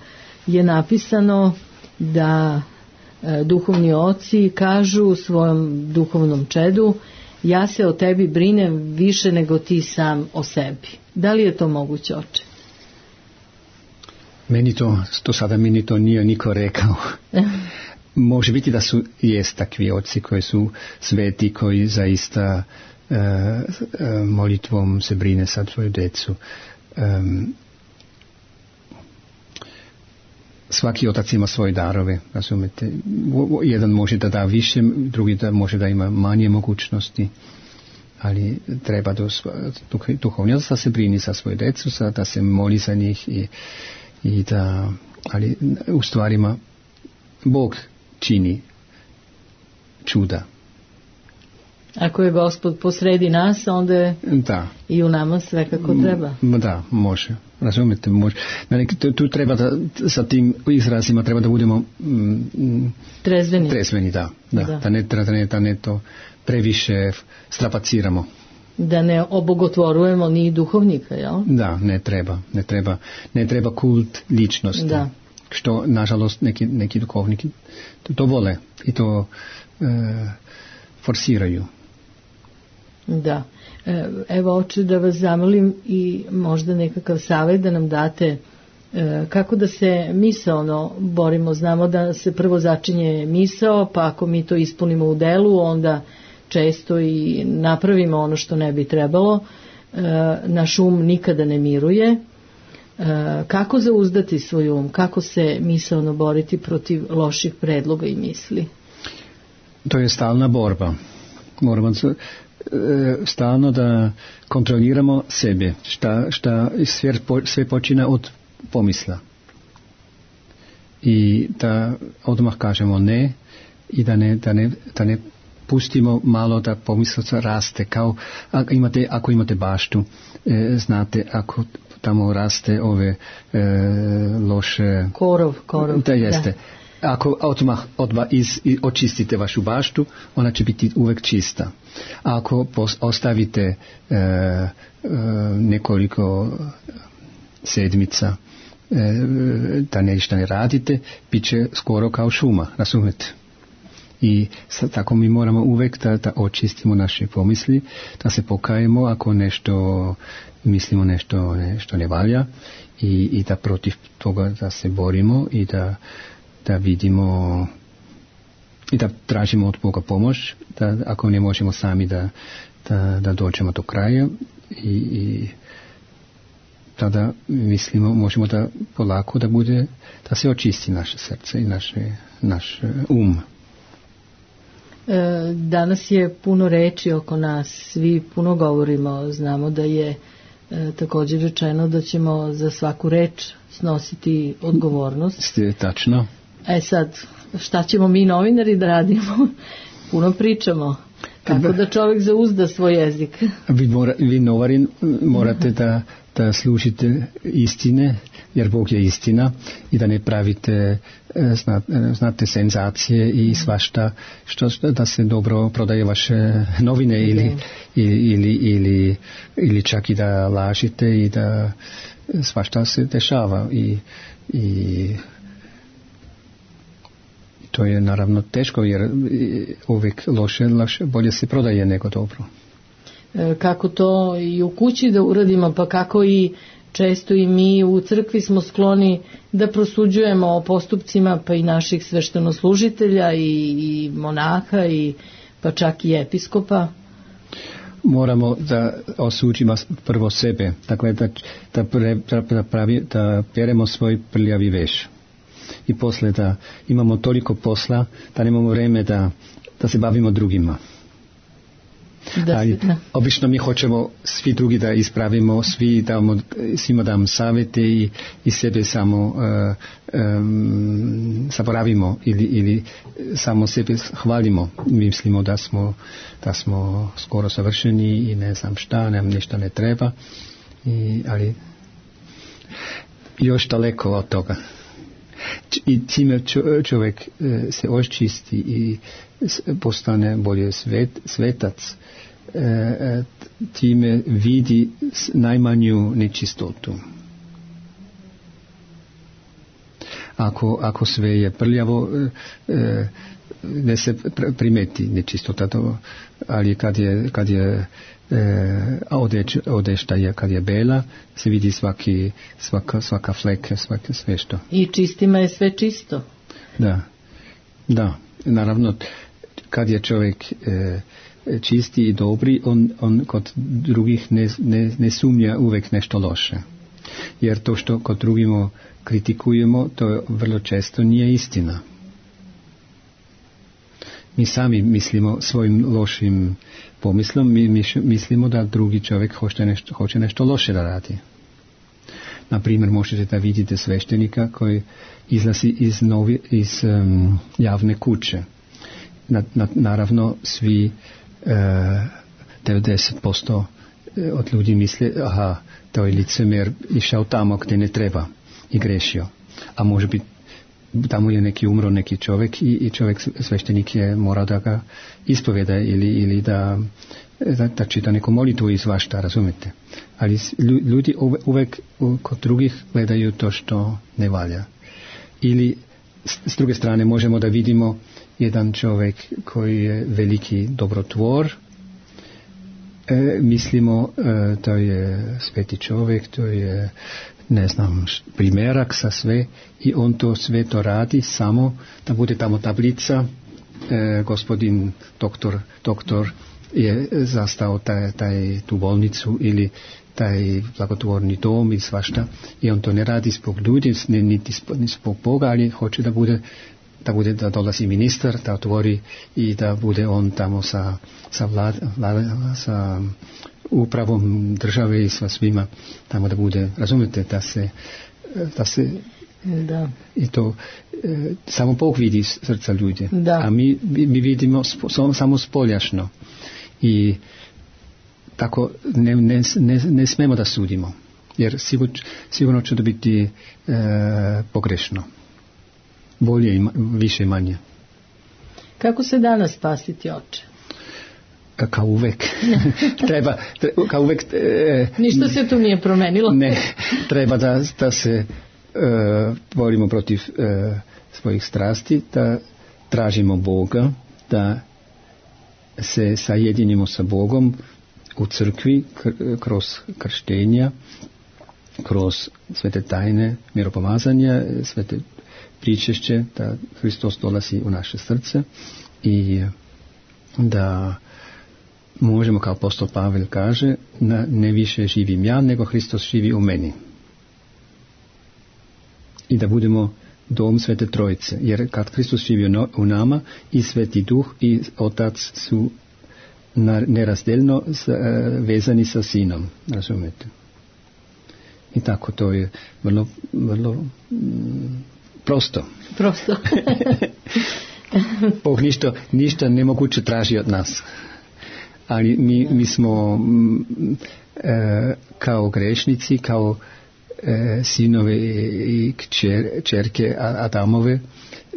je napisano da duhovni oci kažu svojom duhovnom čedu: ja se o tebi brinem više nego ti sam o sebi. Da li je to moguće, oče? Meni to, to sada meni to nije niko rekao. Može biti da su jest takvi oci koji su sveti, koji zaista e, e, molitvom se brine za svoju decu. E, svaki otac ima svoje darove, razumete. Jedan može da da više, drugi da može da ima manje mogućnosti, ali treba do duhovni otac da se brini za svoju decu, da se moli za njih i, i da, ali u stvarima Bog čini čuda. Ako je Gospod posredi nas, onda je da. I u nama sve kako treba. Da, može. Razumite, može. Tu, tu treba da, sa tim izrazima treba da budemo mm, trezveni. Trezveni, da. Da, da. Da, ne, da, ne, da ne to previše strapaciramo. Da ne obogotvorujemo ni duhovnika, jel? Da, ne treba. Ne treba, ne treba kult ličnosti. Da. Što, nažalost, neki, neki duhovniki to, to vole i to e, forsiraju. Da. Evo, oče, da vas zamolim i možda nekakav savjet da nam date e, kako da se misaono borimo. Znamo da se prvo začinje misao, pa ako mi to ispunimo u delu, onda često i napravimo ono što ne bi trebalo. E, naš um nikada ne miruje. E, kako zauzdati svoj um? Kako se misaono boriti protiv loših predloga i misli? To je stalna borba. Moramo se stalno da kontroliramo sebe, šta, šta sve, sve počina od pomisla i da odmah kažemo ne i da ne, da ne, da ne pustimo malo da pomislica raste, kao ako imate, ako imate baštu, e, znate, ako tamo raste ove e, loše korov, korov, da jeste da. Ako odmah, odmah iz, očistite vašu baštu, ona će biti uvek čista. A ako pos, ostavite e, e, nekoliko sedmica e, da nešto ne radite, bit će skoro kao šuma, razumete? I sad, tako mi moramo uvek da, da očistimo naše pomisli, da se pokajemo ako nešto mislimo nešto, nešto ne valja i, i da protiv toga da se borimo i da da vidimo i da tražimo od Boga pomoć, da ako ne možemo sami da, da, da dođemo do kraja i, i tada mislimo, možemo da polako da bude, da se očisti naše srce i naše, naš um. E, danas je puno reči oko nas, svi puno govorimo, znamo da je e, također rečeno da ćemo za svaku reč snositi odgovornost. Ste tačno. E sad, šta ćemo mi novinari da radimo? Puno pričamo. Kako da čovjek zauzda svoj jezik? Vi, mora, vi novinari morate da, da slušite istine, jer Bog je istina, i da ne pravite znate senzacije i svašta, što, da se dobro prodaje vaše novine ili, ili, ili, ili čak i da lažite i da svašta se dešava i, i to je naravno teško, jer uvijek loše, loše, bolje se prodaje nego dobro. Kako to i u kući da uradimo, pa kako i često i mi u crkvi smo skloni da prosuđujemo o postupcima pa i naših sveštenoslužitelja i, i monaha i pa čak i episkopa. Moramo da osuđimo prvo sebe, dakle da, da, pre, da, pravi, da peremo svoj prljavi veš. I posle da imamo toliko posla da nemamo vreme da, da se bavimo drugima. Da, ali da. Obično mi hoćemo svi drugi da ispravimo, svi damo, svima damo savjete i, i sebe samo uh, um, zaboravimo ili, ili samo sebe hvalimo. Mislimo da smo, da smo skoro savršeni i ne znam šta, nam ništa ne treba, I, ali još daleko od toga. I time čovjek se očisti i postane bolje svet, svetac, e, time vidi najmanju nečistotu. Ako, ako sve je prljavo, e, ne se primeti nečistota, to, ali kad je, kad je e, odeć, odešta je, kad je bela, se vidi svaki, svaka, svaka fleka, svaka sve što. I čistima je sve čisto. Da, da, naravno, kad je čovjek e, čisti i dobri, on, on kod drugih ne, ne, ne sumnja uvijek nešto loše. Jer to što kod drugima kritikujemo, to vrlo često nije istina. Mi sami mislimo svojim lošim pomislom, mi mislimo da drugi čovjek hoće nešto, hoće nešto loše da radi. Na primjer, možete da vidite sveštenika koji izlazi iz, novi, iz um, javne kuće. Na, na, naravno, svi uh, devedeset posto od ljudi misle, aha, to je licemjer išao tamo gdje ne treba i grešio. A može biti, tamo je neki umro, neki čovjek i, i čovjek, sveštenik je morao da ga ispovjeda ili, ili da, da, da čita neku molitvu iz vašta, razumete. Ali ljudi uvijek kod drugih gledaju to što ne valja. Ili s druge strane možemo da vidimo jedan čovjek koji je veliki dobrotvor, e, mislimo e, to je sveti čovjek, to je ne znam, primjerak sa sve i on to sve to radi samo da bude tamo tablica, e, gospodin doktor, doktor je zastao taj, taj, tu bolnicu ili taj blagotvorni dom i svašta i on to ne radi zbog ljudi, ne, niti zbog Boga, ali hoće da bude da bude da dolazi ministar, da otvori i da bude on tamo sa, sa, vlad, vlad, sa upravom države i sa svima tamo da bude, razumete, da se da se da. I to e, samo Bog vidi srca ljudi, da. A mi, mi vidimo spo, samo spoljašno i tako ne, ne, ne, ne smemo da sudimo, jer sigurno, sigurno će to biti e, pogrešno. Bolje i više i manje. Kako se danas spasiti, oče? Kao uvek. treba, treba, kao uvek... E, Ništa se tu nije promenilo. Ne, treba da, da se e, borimo protiv e, svojih strasti, da tražimo Boga, da se sajedinimo sa Bogom u crkvi kroz krštenja, kroz svete tajne miropomazanja, svete pričešće, da Hristos dolazi u naše srce i da možemo, kao apostol Pavel kaže, na, ne više živim ja, nego Hristos živi u meni. I da budemo dom Svete Trojice, jer kad Hristos živi u nama, i Sveti Duh i Otac su nerazdeljno vezani sa Sinom, razumete? I tako to je vrlo, vrlo mm, prosto. Prosto. Bog ništa, ništa nemoguće traži od nas. Ali mi, mi smo m, e, kao grešnici, kao e, sinove i kćer, čerke Adamove,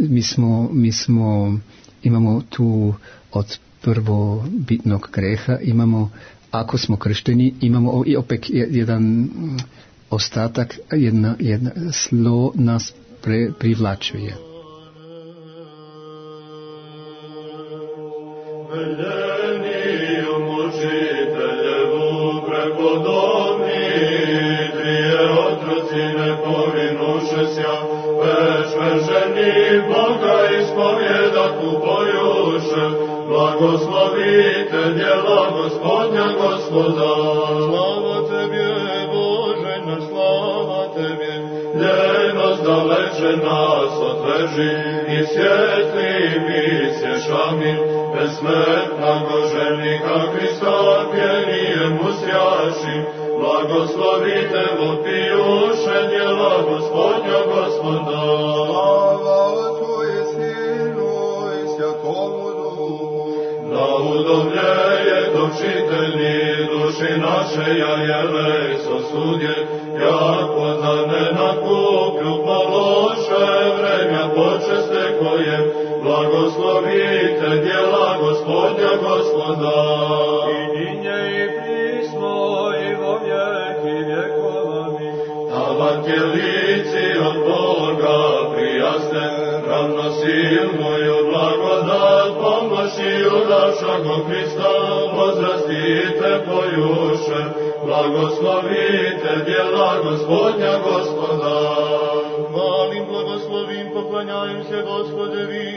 mi smo, mi smo, imamo tu od prvobitnog greha, imamo, ako smo kršteni, imamo i opet jedan ostatak, jedna, jedna slo nas pre, privlačuje. Blagoslovite djela Gospodnja Gospoda. Slava Tebje, Bože naš, slava Tebje. Ljenost daleče nas odveži i svjetli misješ, amin. Besmrtnago ženika Hrista pjenijemu sjaši. Blagoslovite vopijuše djela Gospodnja Gospoda. Slava Otcu i Sinu i Svjatomu Duhu. Da udomljeje točitelji duši naše, ja jele sosudje, jako da ne nakuplju pološe vremja počeste koje, blagoslovite djela Gospodnja Gospoda. je lici od Boga prijaste, ravnosilnuju blagodat, pomoćiju našeg Hrista, возрастите поюше, благословите дела Господня Господа. Хвалим, благословим, поклоняемся Господеви,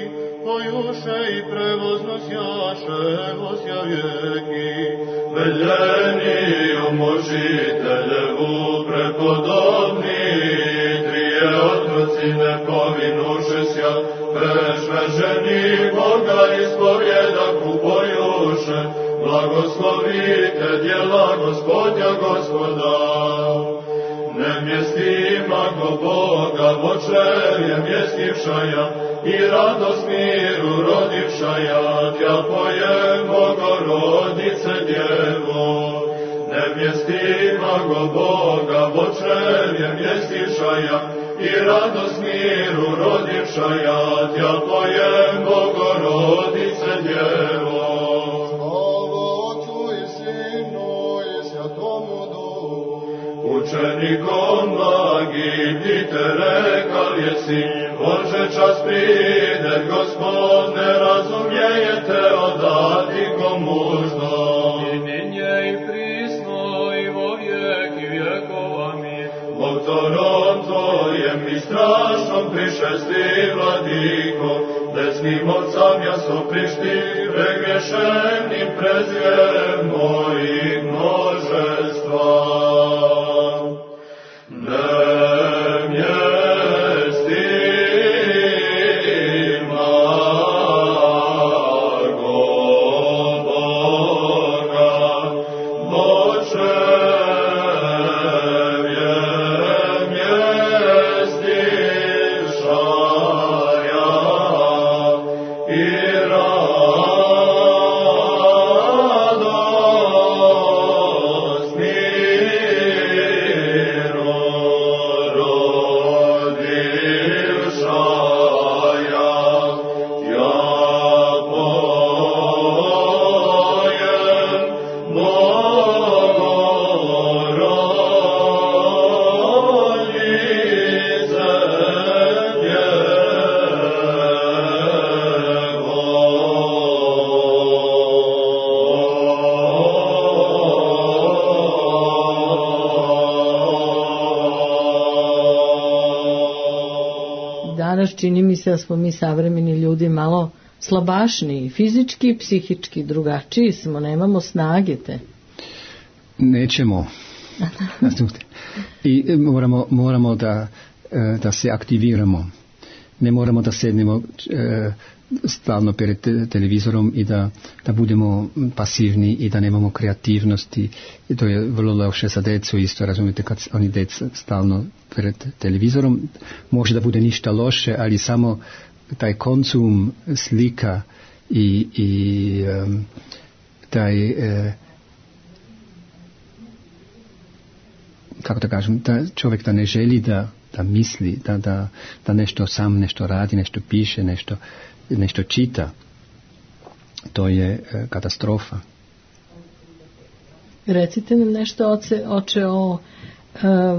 поюше и превозносяше вося веки. Велени умочителеву преподобни, трije otroci ne povinušeся, prešveženi Boga ispovjedaku pojuše, blagoslovite djela Gospodja Gospoda. Nemjestimago Boga vočevje mjestivšaja i radost miru rodivšaja, tja pojem Bogorodice Djevo. Nemjestimago Boga vočevje mjestivšaja i radost miru rodivšaja, tja pojem Bogorodice Djevo. Učenikom blagim ti te rekal jesi, Bože čas pride, Gospodne, razumijete odati komužno. I ninje i prisno i vo vijeki vjekova mi, Bogtorom Tvojem i strašnom prišesti vladiko, desnim ovcam jaso prišti, pregrešenim prezvijem mojih množestva. Čini mi se da smo mi savremeni ljudi malo slabašni, fizički i psihički, drugačiji smo, nemamo snage te. Nećemo. I moramo, moramo da, da se aktiviramo. Ne moramo da sednemo stalno pred televizorom i da, da budemo pasivni i da nemamo kreativnosti. I to je vrlo loše za decu isto, razumijete, kad oni deca stalno pred televizorom. Može da bude ništa loše, ali samo taj konsum slika i, i um, taj uh, kako da kažem, da čovjek da ne želi da, da misli, da, da, da nešto sam nešto radi, nešto piše, nešto, nešto čita. To je uh, katastrofa. Recite nam nešto, oče, oče o uh,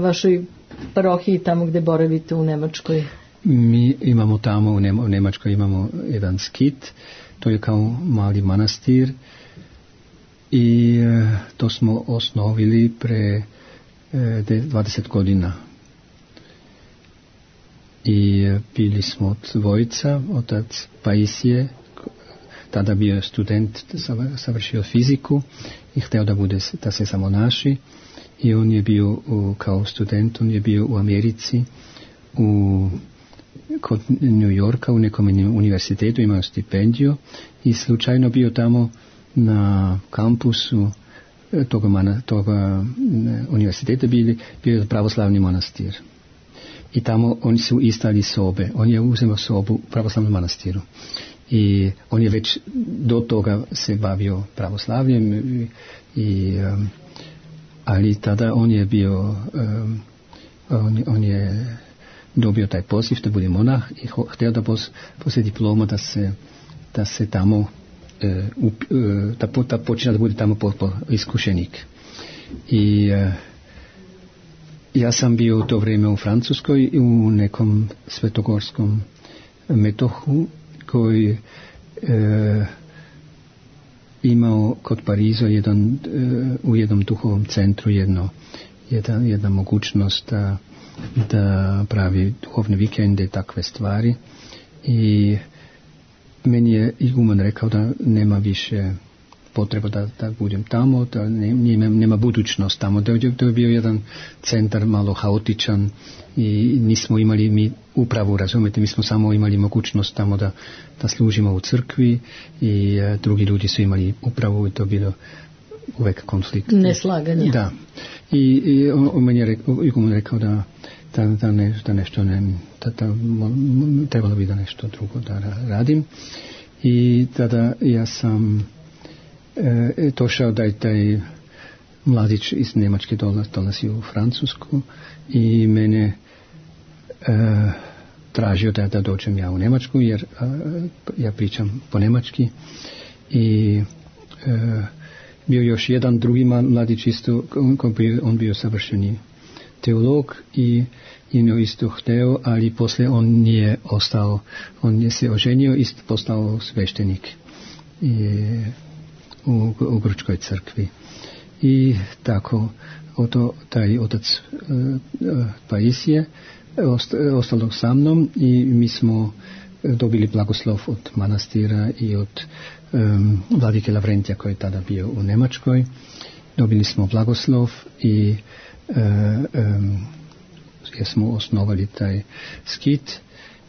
vašoj parohiji tamo gdje boravite u Nemačkoj. Mi imamo tamo u, Nema, u Nemačkoj imamo jedan skit, to je kao mali manastir i uh, to smo osnovili pre uh, dvadeset godina. I uh, bili smo dvojica, otac Paisije, tada bio student, savršio fiziku i hteo da bude, da se samo naši. I on je bio u, kao student, on je bio u Americi, u kod New Yorka u nekom univerzitetu, imao stipendiju i slučajno bio tamo na kampusu toga, mana, toga univerziteta bili, bio je pravoslavni manastir. I tamo oni su istali sobe, on je uzeo sobu u pravoslavnom manastiru. I on je već do toga se bavio pravoslavljem i, i um, ali tada on je bio um, on, on je dobio taj poziv da bude monah i ho, htio da pos, poslije diploma da se da se tamo uh, up, uh, da, da počne da bude tamo po, po iskušenik. I uh, ja sam bio u to vrijeme u Francuskoj u nekom svetogorskom metohu koji e, imao kod Pariza jedan, e, u jednom duhovnom centru jedno, jedan, jedna mogućnost da, da pravi duhovne vikende i takve stvari. I meni je iguman rekao da nema više potreba da, da budem tamo, da nema, nema budućnost tamo. Da je, to je bio jedan centar malo haotičan i nismo imali mi upravu, razumijete, mi smo samo imali mogućnost tamo da, da služimo u crkvi i e, drugi ljudi su imali upravu i to bilo uvek konflikt. Neslaganje. Da. I, i on, on meni je rekao, iguman rekao da Da, da, ne, da nešto ne, da, da, trebalo bi da nešto drugo da radim. I tada ja sam e, došao da je taj mladić iz Njemačke dolaz, dolazi u Francusku i mene e, tražio da, da dođem ja u Njemačku jer a, ja pričam po njemački i e, bio još jedan drugi mladić isto, on bio, on bio savršeni teolog i on isto hteo, ali poslije on nije ostao, on je se oženio i postao sveštenik i, u, u Grčkoj crkvi. I tako, oto, taj otac uh, uh, Paisije ost, ostalo sa mnom i mi smo dobili blagoslov od manastira i od um, vladike Lavrentija koji je tada bio u Njemačkoj. Dobili smo blagoslov i Uh, um, jer smo osnovali taj skit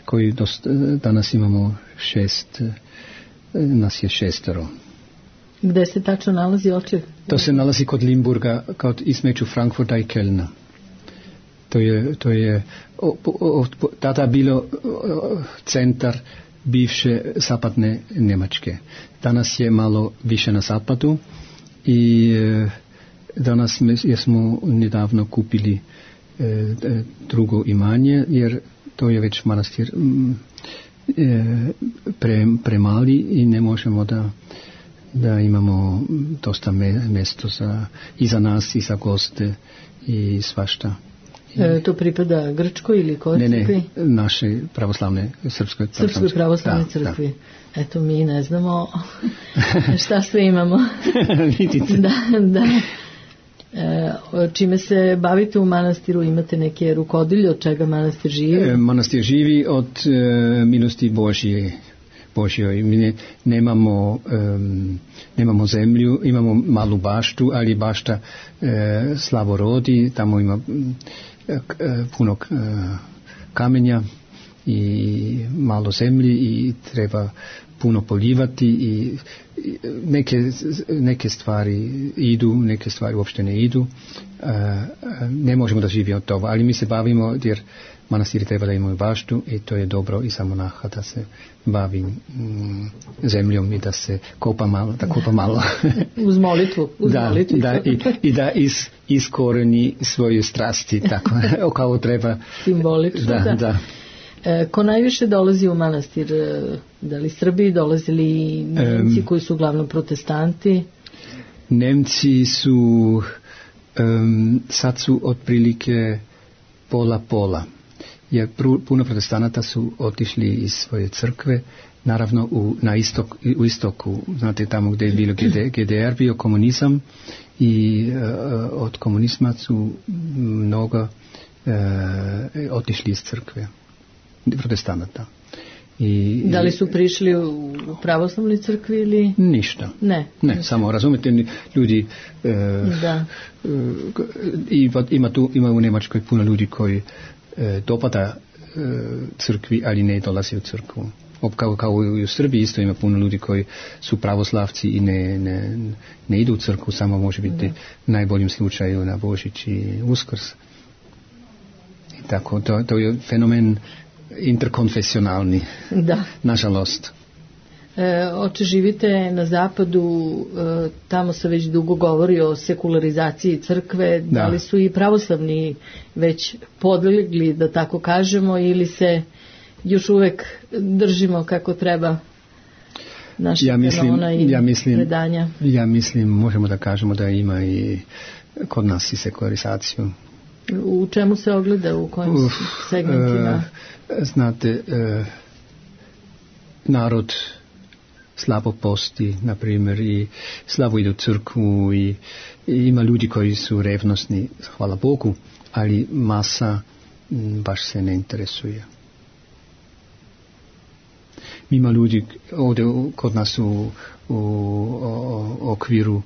koji dost, danas imamo šest, nas je šestero. Gde se tačno nalazi oče? To se nalazi kod Limburga, kod između Frankfurta i Kölna. To je, to je o, o, o, tada bilo o, centar bivše zapadne Njemačke. Danas je malo više na zapadu i danas smo nedavno kupili e, drugo imanje, jer to je već manastir e, pre, premali i ne možemo da, da imamo dosta me, mjesto za, i za nas i za goste i svašta. E, to pripada Grčkoj ili kojoj crkvi? Ne, ne, naše pravoslavne, srpskoj pravoslavne, srpskoj pravoslavne crkvi. Da. Eto, mi ne znamo šta sve imamo. Vidite. Da, da. E, čime se bavite u manastiru? Imate neke rukodilje od čega manastir živi? E, manastir živi od e, milosti Božje. Božjoj. Mi ne, nemamo, um, nemamo zemlju, imamo malu baštu, ali bašta e, slabo rodi, tamo ima e, puno e, kamenja i malo zemlji i treba puno poljivati i neke, neke stvari idu, neke stvari uopšte ne idu. E, ne možemo da živimo od toga, ali mi se bavimo jer manastiri treba da imaju baštu i to je dobro i za monaha da se bavi mm, zemljom i da se kopa malo, da kopa malo. Uz molitvu. Uz da, molitvu. Da, i, i da is, iskoreni svoje strasti, tako, kao treba. Simbolično, da. da. da. E, ko najviše dolazi u manastir? Da li Srbi, dolazili Nemci um, koji su uglavnom protestanti? Nemci su, um, sad su otprilike pola-pola. Jer puno protestanata su otišli iz svoje crkve, naravno u, na istok, u istoku, znate tamo gdje je bilo G D R, bio komunizam i uh, od komunizma su mnogo uh, otišli iz crkve, protestanata. I, da li su prišli u pravoslavnoj crkvi ili? Ništa. Ne. Ne, samo razumite, ljudi uh, da. Uh, ima, ima, tu, ima u Njemačkoj puno ljudi koji E, dopada e, crkvi, ali ne dolazi u crkvu. Kao, kao i u Srbiji isto ima puno ljudi koji su pravoslavci i ne, ne, ne idu u crkvu, samo može biti da. Najboljim slučaju na Božić i Uskrs. I tako, to, to je fenomen interkonfesionalni. Da. Nažalost. E, oče, živite na zapadu, e, tamo se već dugo govori o sekularizaciji crkve, da. Da li su i pravoslavni već podlegli, da tako kažemo, ili se još uvek držimo kako treba naših ja mislim, kanona i ja mislim, predanja? Ja mislim, možemo da kažemo da ima i kod nas i sekularizaciju. U čemu se ogleda, u kojim Uf, segmentima? E, znate, e, narod slabo posti, na primjer, i slabo ide u crkvu i, i ima ljudi koji su revnosni, hvala Bogu, ali masa m, baš se ne interesuje. Ima ljudi ovdje kod nas u, u, u, u okviru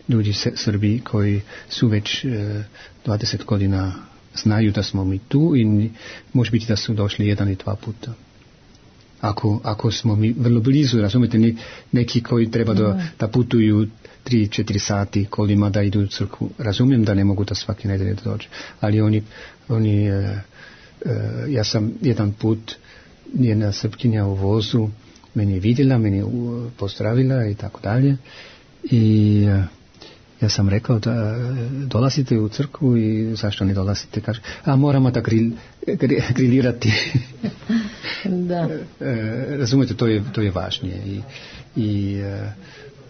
ljudi Srbi koji su već e, dvadeset godina znaju da smo mi tu i može biti da su došli jedan i dva puta. Ako, ako smo mi vrlo blizu, razumijete, neki koji treba da, da putuju tri četiri sati kolima da idu u crkvu. Razumijem da ne mogu da svaki nedelje da dođe, ali oni, oni e, e, ja sam jedan put jedna Srpkinja u vozu meni je vidjela, meni je pozdravila i tako dalje i e, ja sam rekao da dolazite u crkvu i zašto ne dolazite, kaže, a moramo da gril, grilirati. Da. E, razumijete, to je, to je važnije i, i e,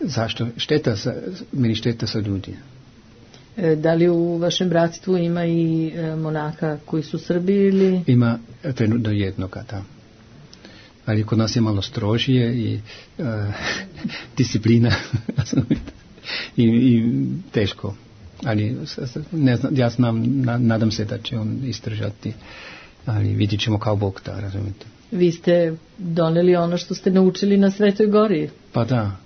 zašto, šteta za, meni šteta sa ljudi. E, da li u vašem bratstvu ima i e, monaka koji su Srbi ili? Ima trenutno jednoga, da. Ali kod nas je malo strožije i e, disciplina, I, i teško, ali ne znam, ja znam, na, nadam se da će on izdržati, ali vidjet ćemo kao Bog da, razumijete. Vi ste doneli ono što ste naučili na Svetoj Gori. Pa da.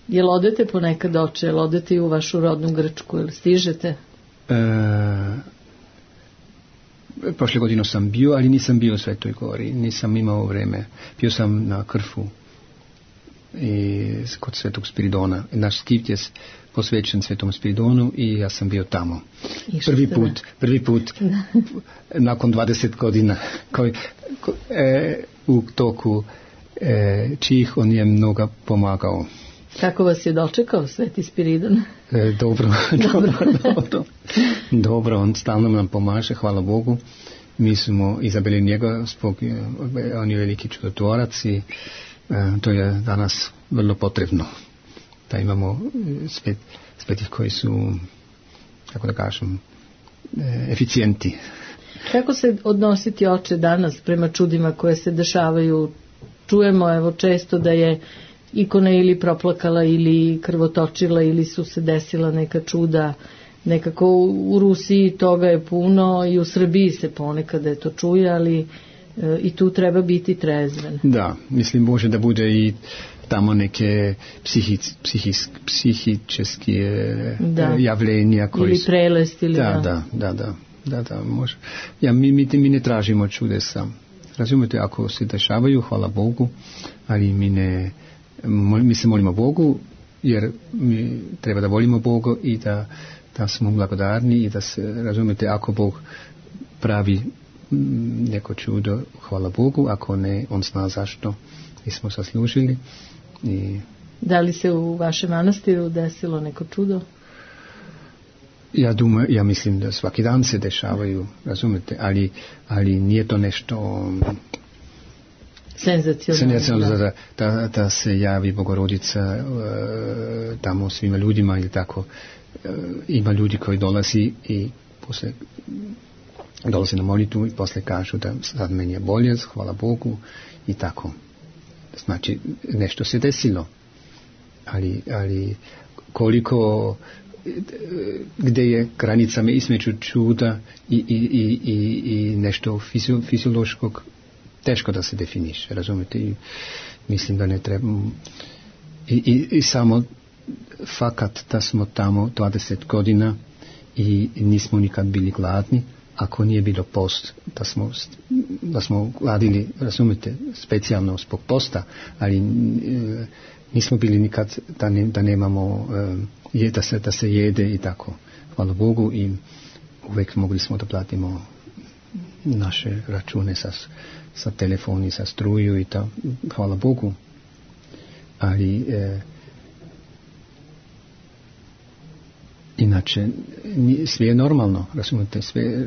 Jel odete ponekad, oče, jel odete i u vašu rodnu Grčku, jel stižete? E, prošle godine sam bio, ali nisam bio u Svetoj Gori, nisam imao vreme, bio sam na Krfu i kod Svetog Spiridona. Naš skift je posvećen Svetom Spiridonu i ja sam bio tamo. Prvi put, prvi put nakon dvadeset godina koji, ko, e, u toku e, čih on je mnogo pomagao. Kako vas je dočekao Sveti Spiridon? E, dobro, dobro, dobro. Dobro, on stalno nam pomaže, hvala Bogu. Mi smo izabili njega, zbog, on je veliki čudotvorac i E, to je danas vrlo potrebno da imamo svet, svetih koji su, kako da kažem, e, eficijenti. Kako se odnositi, oče, danas prema čudima koje se dešavaju? Čujemo evo često da je ikona ili proplakala ili krvotočila ili su se desila neka čuda. Nekako u Rusiji toga je puno i u Srbiji se ponekad je to čuje, ali i tu treba biti trezven. Da, mislim može da bude i tamo neke psihic, psihis, psihičeske da. javljenja koji ili prelest ili da, da, da, da, da, da, može. Ja, mi, mi, mi ne tražimo čudesa. Razumijete, ako se dešavaju, hvala Bogu, ali mi ne, mi se molimo Bogu, jer mi treba da volimo Boga i da, da smo blagodarni i da se, razumijete, ako Bog pravi neko čudo, hvala Bogu, ako ne, on zna zašto i smo zaslužili. I da li se u vašem manastiru desilo neko čudo? Ja dumam, ja mislim da svaki dan se dešavaju, razumete, ali, ali nije to nešto senzacionalno da, da, da se javi Bogorodica uh, tamo svima ljudima ili tako. Uh, ima ljudi koji dolazi i posle dolazi na molitvu i posle kažu da sad meni je bolje, hvala Bogu i tako. Znači, nešto se desilo. Ali, ali koliko, gde je granica između čuda i, i, i, i, i nešto fizio, fiziološkog, teško da se definiše, razumete? I mislim da ne treba. I, i, i samo fakat da smo tamo dvadeset godina i nismo nikad bili gladni, ako nije bilo post, da smo, da smo gladili, razumete, specijalno zbog posta, ali e, nismo bili nikad da, ne, da nemamo, e, je, da, se, da se jede i tako. Hvala Bogu i uvijek mogli smo da platimo naše račune sa, sa telefoni, sa struju i to. Hvala Bogu. Ali e, inače sve je normalno, razumete, sve,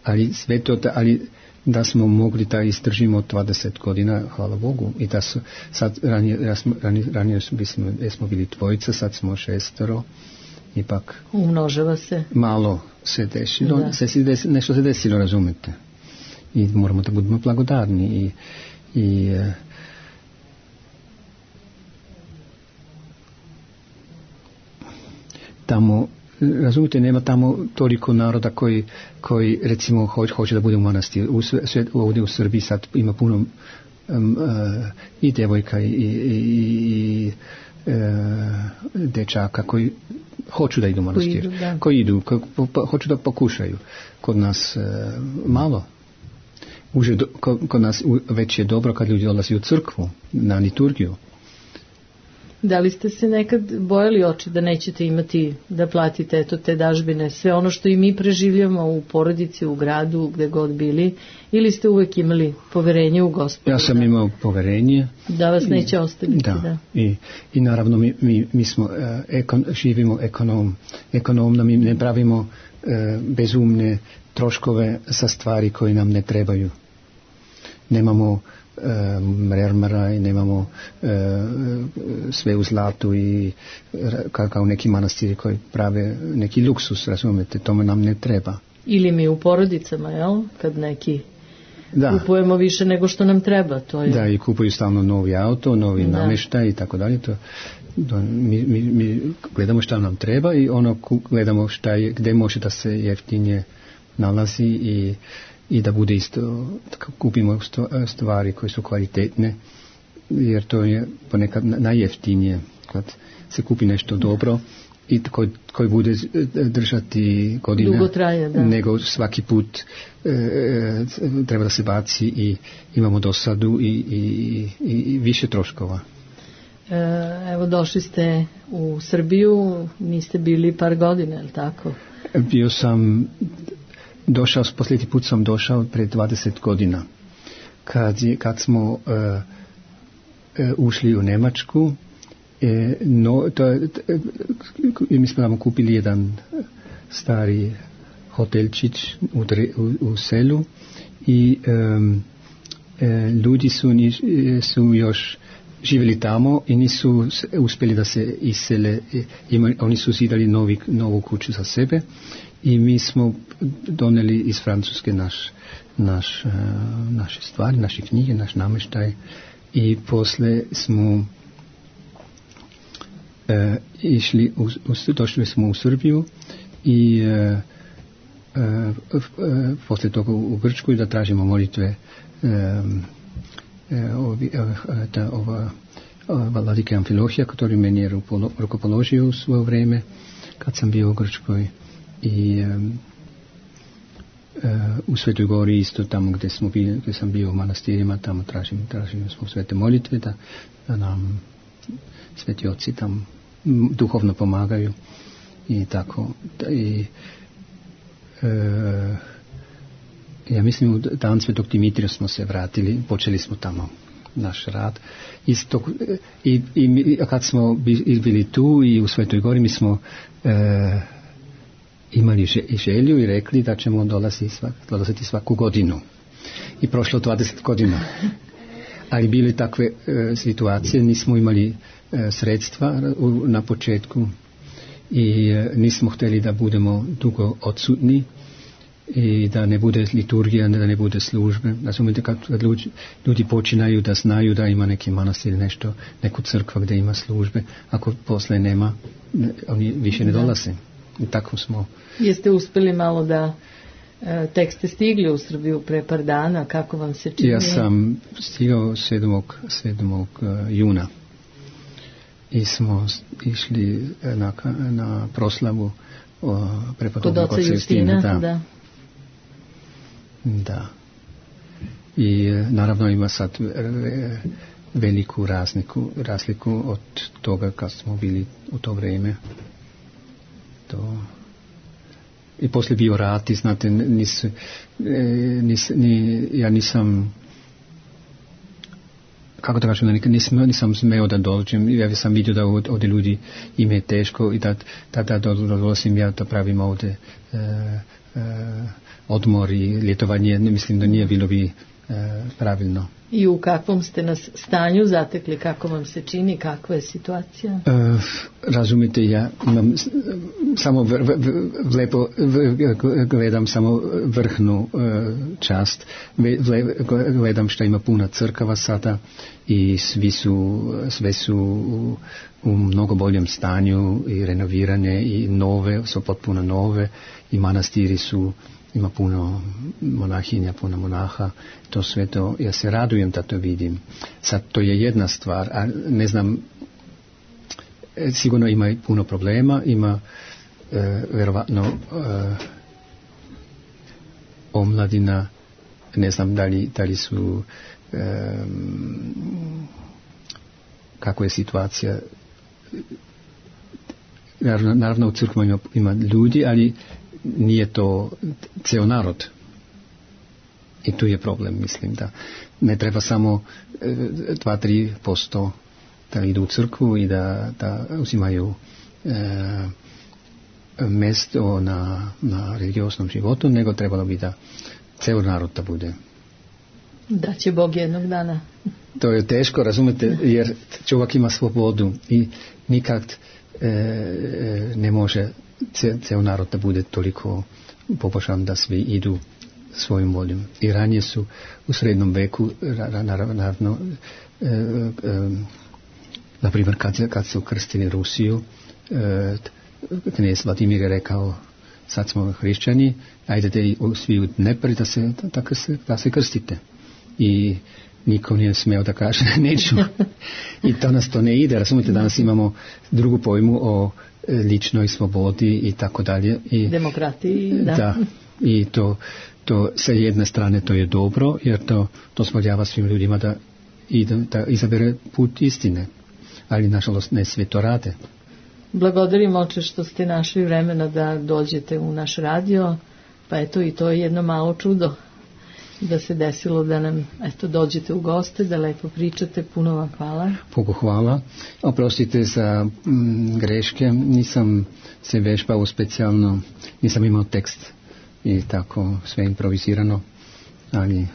ali sve to, ali da smo mogli da izdržimo dvadeset godina, hvala Bogu, i da su sad ranije, ranije, ranije smo, smo bili dvojica, sad smo šestero, ipak umnožava se malo, se desilo, da. se si des, nešto se desilo, razumete. I moramo da budemo blagodarni i, i e, tamo, razumite, nema tamo toliko naroda koji, koji recimo hoće, hoće da bude u manastiru. U sve, ovdje u Srbiji sad ima puno um, uh, i djevojka i, i, i uh, dečaka koji hoću da idu u manastir, koji idu, da. koji idu koji, po, hoću da pokušaju. Kod nas uh, malo. Uže, kod, kod nas već je dobro kad ljudi odlazi u crkvu na liturgiju. Da li ste se nekad bojali oči da nećete imati da platite eto te dažbine, sve ono što i mi preživljamo u porodici, u gradu, gde god bili, ili ste uvek imali poverenje u Gospoda? Ja sam da, imao poverenje. Da vas neće ostaviti. Da, da. I, i naravno mi, mi, mi smo, uh, ekon, živimo ekonom, ekonomno, mi ne pravimo uh, bezumne troškove za stvari koje nam ne trebaju. Nemamo mermara i nemamo e, sve u zlatu i kao, kao neki manastiri koji prave neki luksus, razumete, tome nam ne treba. Ili mi u porodicama, jel? Kad neki da. Kupujemo više nego što nam treba. To je... Da, i kupuju stalno novi auto, novi da. namještaj i tako dalje. To, to, mi, mi, mi gledamo šta nam treba i ono gledamo šta je, gde može da se jeftinije nalazi i i da bude isto, kupimo stvari koje su kvalitetne, jer to je ponekad najjeftinije kad se kupi nešto dobro i koji, koji bude držati godine, dugo traje, da. Nego svaki put e, treba da se baci i imamo dosadu i, i, i više troškova. Evo, došli ste u Srbiju, niste bili par godina, je li tako? Bio sam došao, posljednji put sam došao pred dvadeset godina kad, je, kad smo uh, uh, ušli u Njemačku uh, no, to, uh, mi smo nam kupili jedan stari hotelčić u, u, u selu i um, uh, ljudi su, su još živjeli tamo i nisu uspjeli da se isele, ima, oni su zidali novi, novu kuću za sebe i mi smo doneli iz Francuske naš, naš, uh, naše stvari, naše knjige, naš namještaj i posle smo uh, išli, u, u, došli smo u Srbiju i uh, uh, uh, posle toga u Grčku i da tražimo molitve um, Ovi, ta, ova, ova vladika Amfilohija, koji meni je rukopoložio u svoje vreme kad sam bio u Grčkoj i um, uh, u Svetoj Gori isto tamo gdje, smo bili, gdje sam bio u manastirima, tamo tražim, tražim smo svete molitve da, da nam sveti oci tam duhovno pomagaju i tako i uh, ja mislim u dan Svetog Dimitrija smo se vratili, počeli smo tamo naš rad. Isto, i, i kad smo bili tu i u Svetoj Gori mi smo e, imali želju i rekli da ćemo dolaziti, svak, dolaziti svaku godinu. I prošlo dvadeset godina. Ali bili takve e, situacije, nismo imali e, sredstva u, na početku i e, nismo htjeli da budemo dugo odsutni i da ne bude liturgija, da ne bude službe. Razumite, kad ljudi, ljudi počinaju da znaju da ima neki manastir, nešto, neku crkva gdje ima službe, ako posle nema, oni više ne dolaze. I tako smo. Jeste uspjeli malo da e, tek ste stigli u Srbiju pre par dana, kako vam se čini? Ja sam stigao sedmog juna i smo išli na, na proslavu prepodobnog oca Justina. Da. da. Da. I naravno ima sad veliku razliku, razliku od toga kad smo bili u to vrijeme. To. I poslije bio rat i znate, nis, nis, ni, ja nisam, kako da kažem, nisam, nisam smeo da dođem, ja sam vidio da ovdje ljudi ime je teško i da, da, da dolazim ja da pravim ovdje e, e, odmor i ljetovanje, mislim da nije bilo bi pravilno. I u kakvom ste nas stanju zatekli, kako vam se čini, kakva je situacija? E, razumite, ja imam samo v, v, v, lepo v, gledam samo vrhnu e, čast, v, gledam što ima puna crkava sada i svi su, sve su u, u mnogo boljem stanju i renovirane i nove, su potpuno nove i manastiri su, ima puno monahinja, puno monaha, to sve to, ja se radujem da to vidim. Sad, to je jedna stvar, a ne znam, sigurno ima i puno problema, ima e, verovatno e, omladina, ne znam da li, da li su e, kako je situacija, naravno, naravno u crkvama ima, ima ljudi, ali nije to ceo narod. I tu je problem, mislim, da ne treba samo dva do tri posto da idu u crkvu i da, da uzimaju e, mesto na, na religioznom životu, nego trebalo bi da ceo narod da bude. Da će Bog jednog dana. To je teško, razumete, jer čovjek ima slobodu i nikad e, ne može ceo narod da bude toliko pobožan da svi idu svojim voljom. I ranije su u srednjem veku, naravno, e, e, na primjer kad, kad su krstili Rusiju, e, knez Vladimir je rekao, sad smo hrišćani, ajdete svi u Dnepr da se, da, da, se, da se krstite. I niko nije smeo da kaže neću. I to nas to ne ide, razumite, danas imamo drugu pojmu o ličnoj slobodi i tako dalje. I demokratiji, da. Da, i to, to sa jedne strane to je dobro, jer to dozvoljava svim ljudima da, ide, da izabere put istine. Ali nažalost ne sve to rade. Благодарим, Oče, što ste našli vremena da dođete u naš radio, pa eto i to je jedno malo čudo da se desilo da nam eto dođete u goste, da lepo pričate, puno vam hvala. Bogu hvala. Oprostite za mm, greške, nisam se vežbao specijalno, nisam imao tekst i tako sve improvizirano, ali...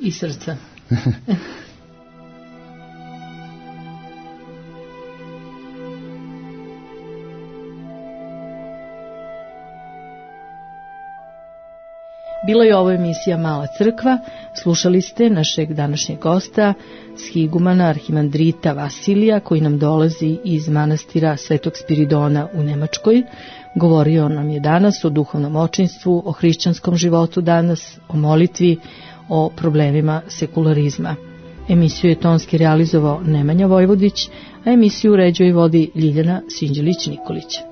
I srca. Bila je ovo emisija Mala crkva, slušali ste našeg današnjeg gosta, shigumana arhimandrita Vasilija, koji nam dolazi iz manastira Svetog Spiridona u Nemačkoj. Govorio nam je danas o duhovnom očinstvu, o hrišćanskom životu danas, o molitvi, o problemima sekularizma. Emisiju je tonski realizovao Nemanja Vojvodić, a emisiju uređuje i vodi Ljiljana Sinđelić-Nikolić.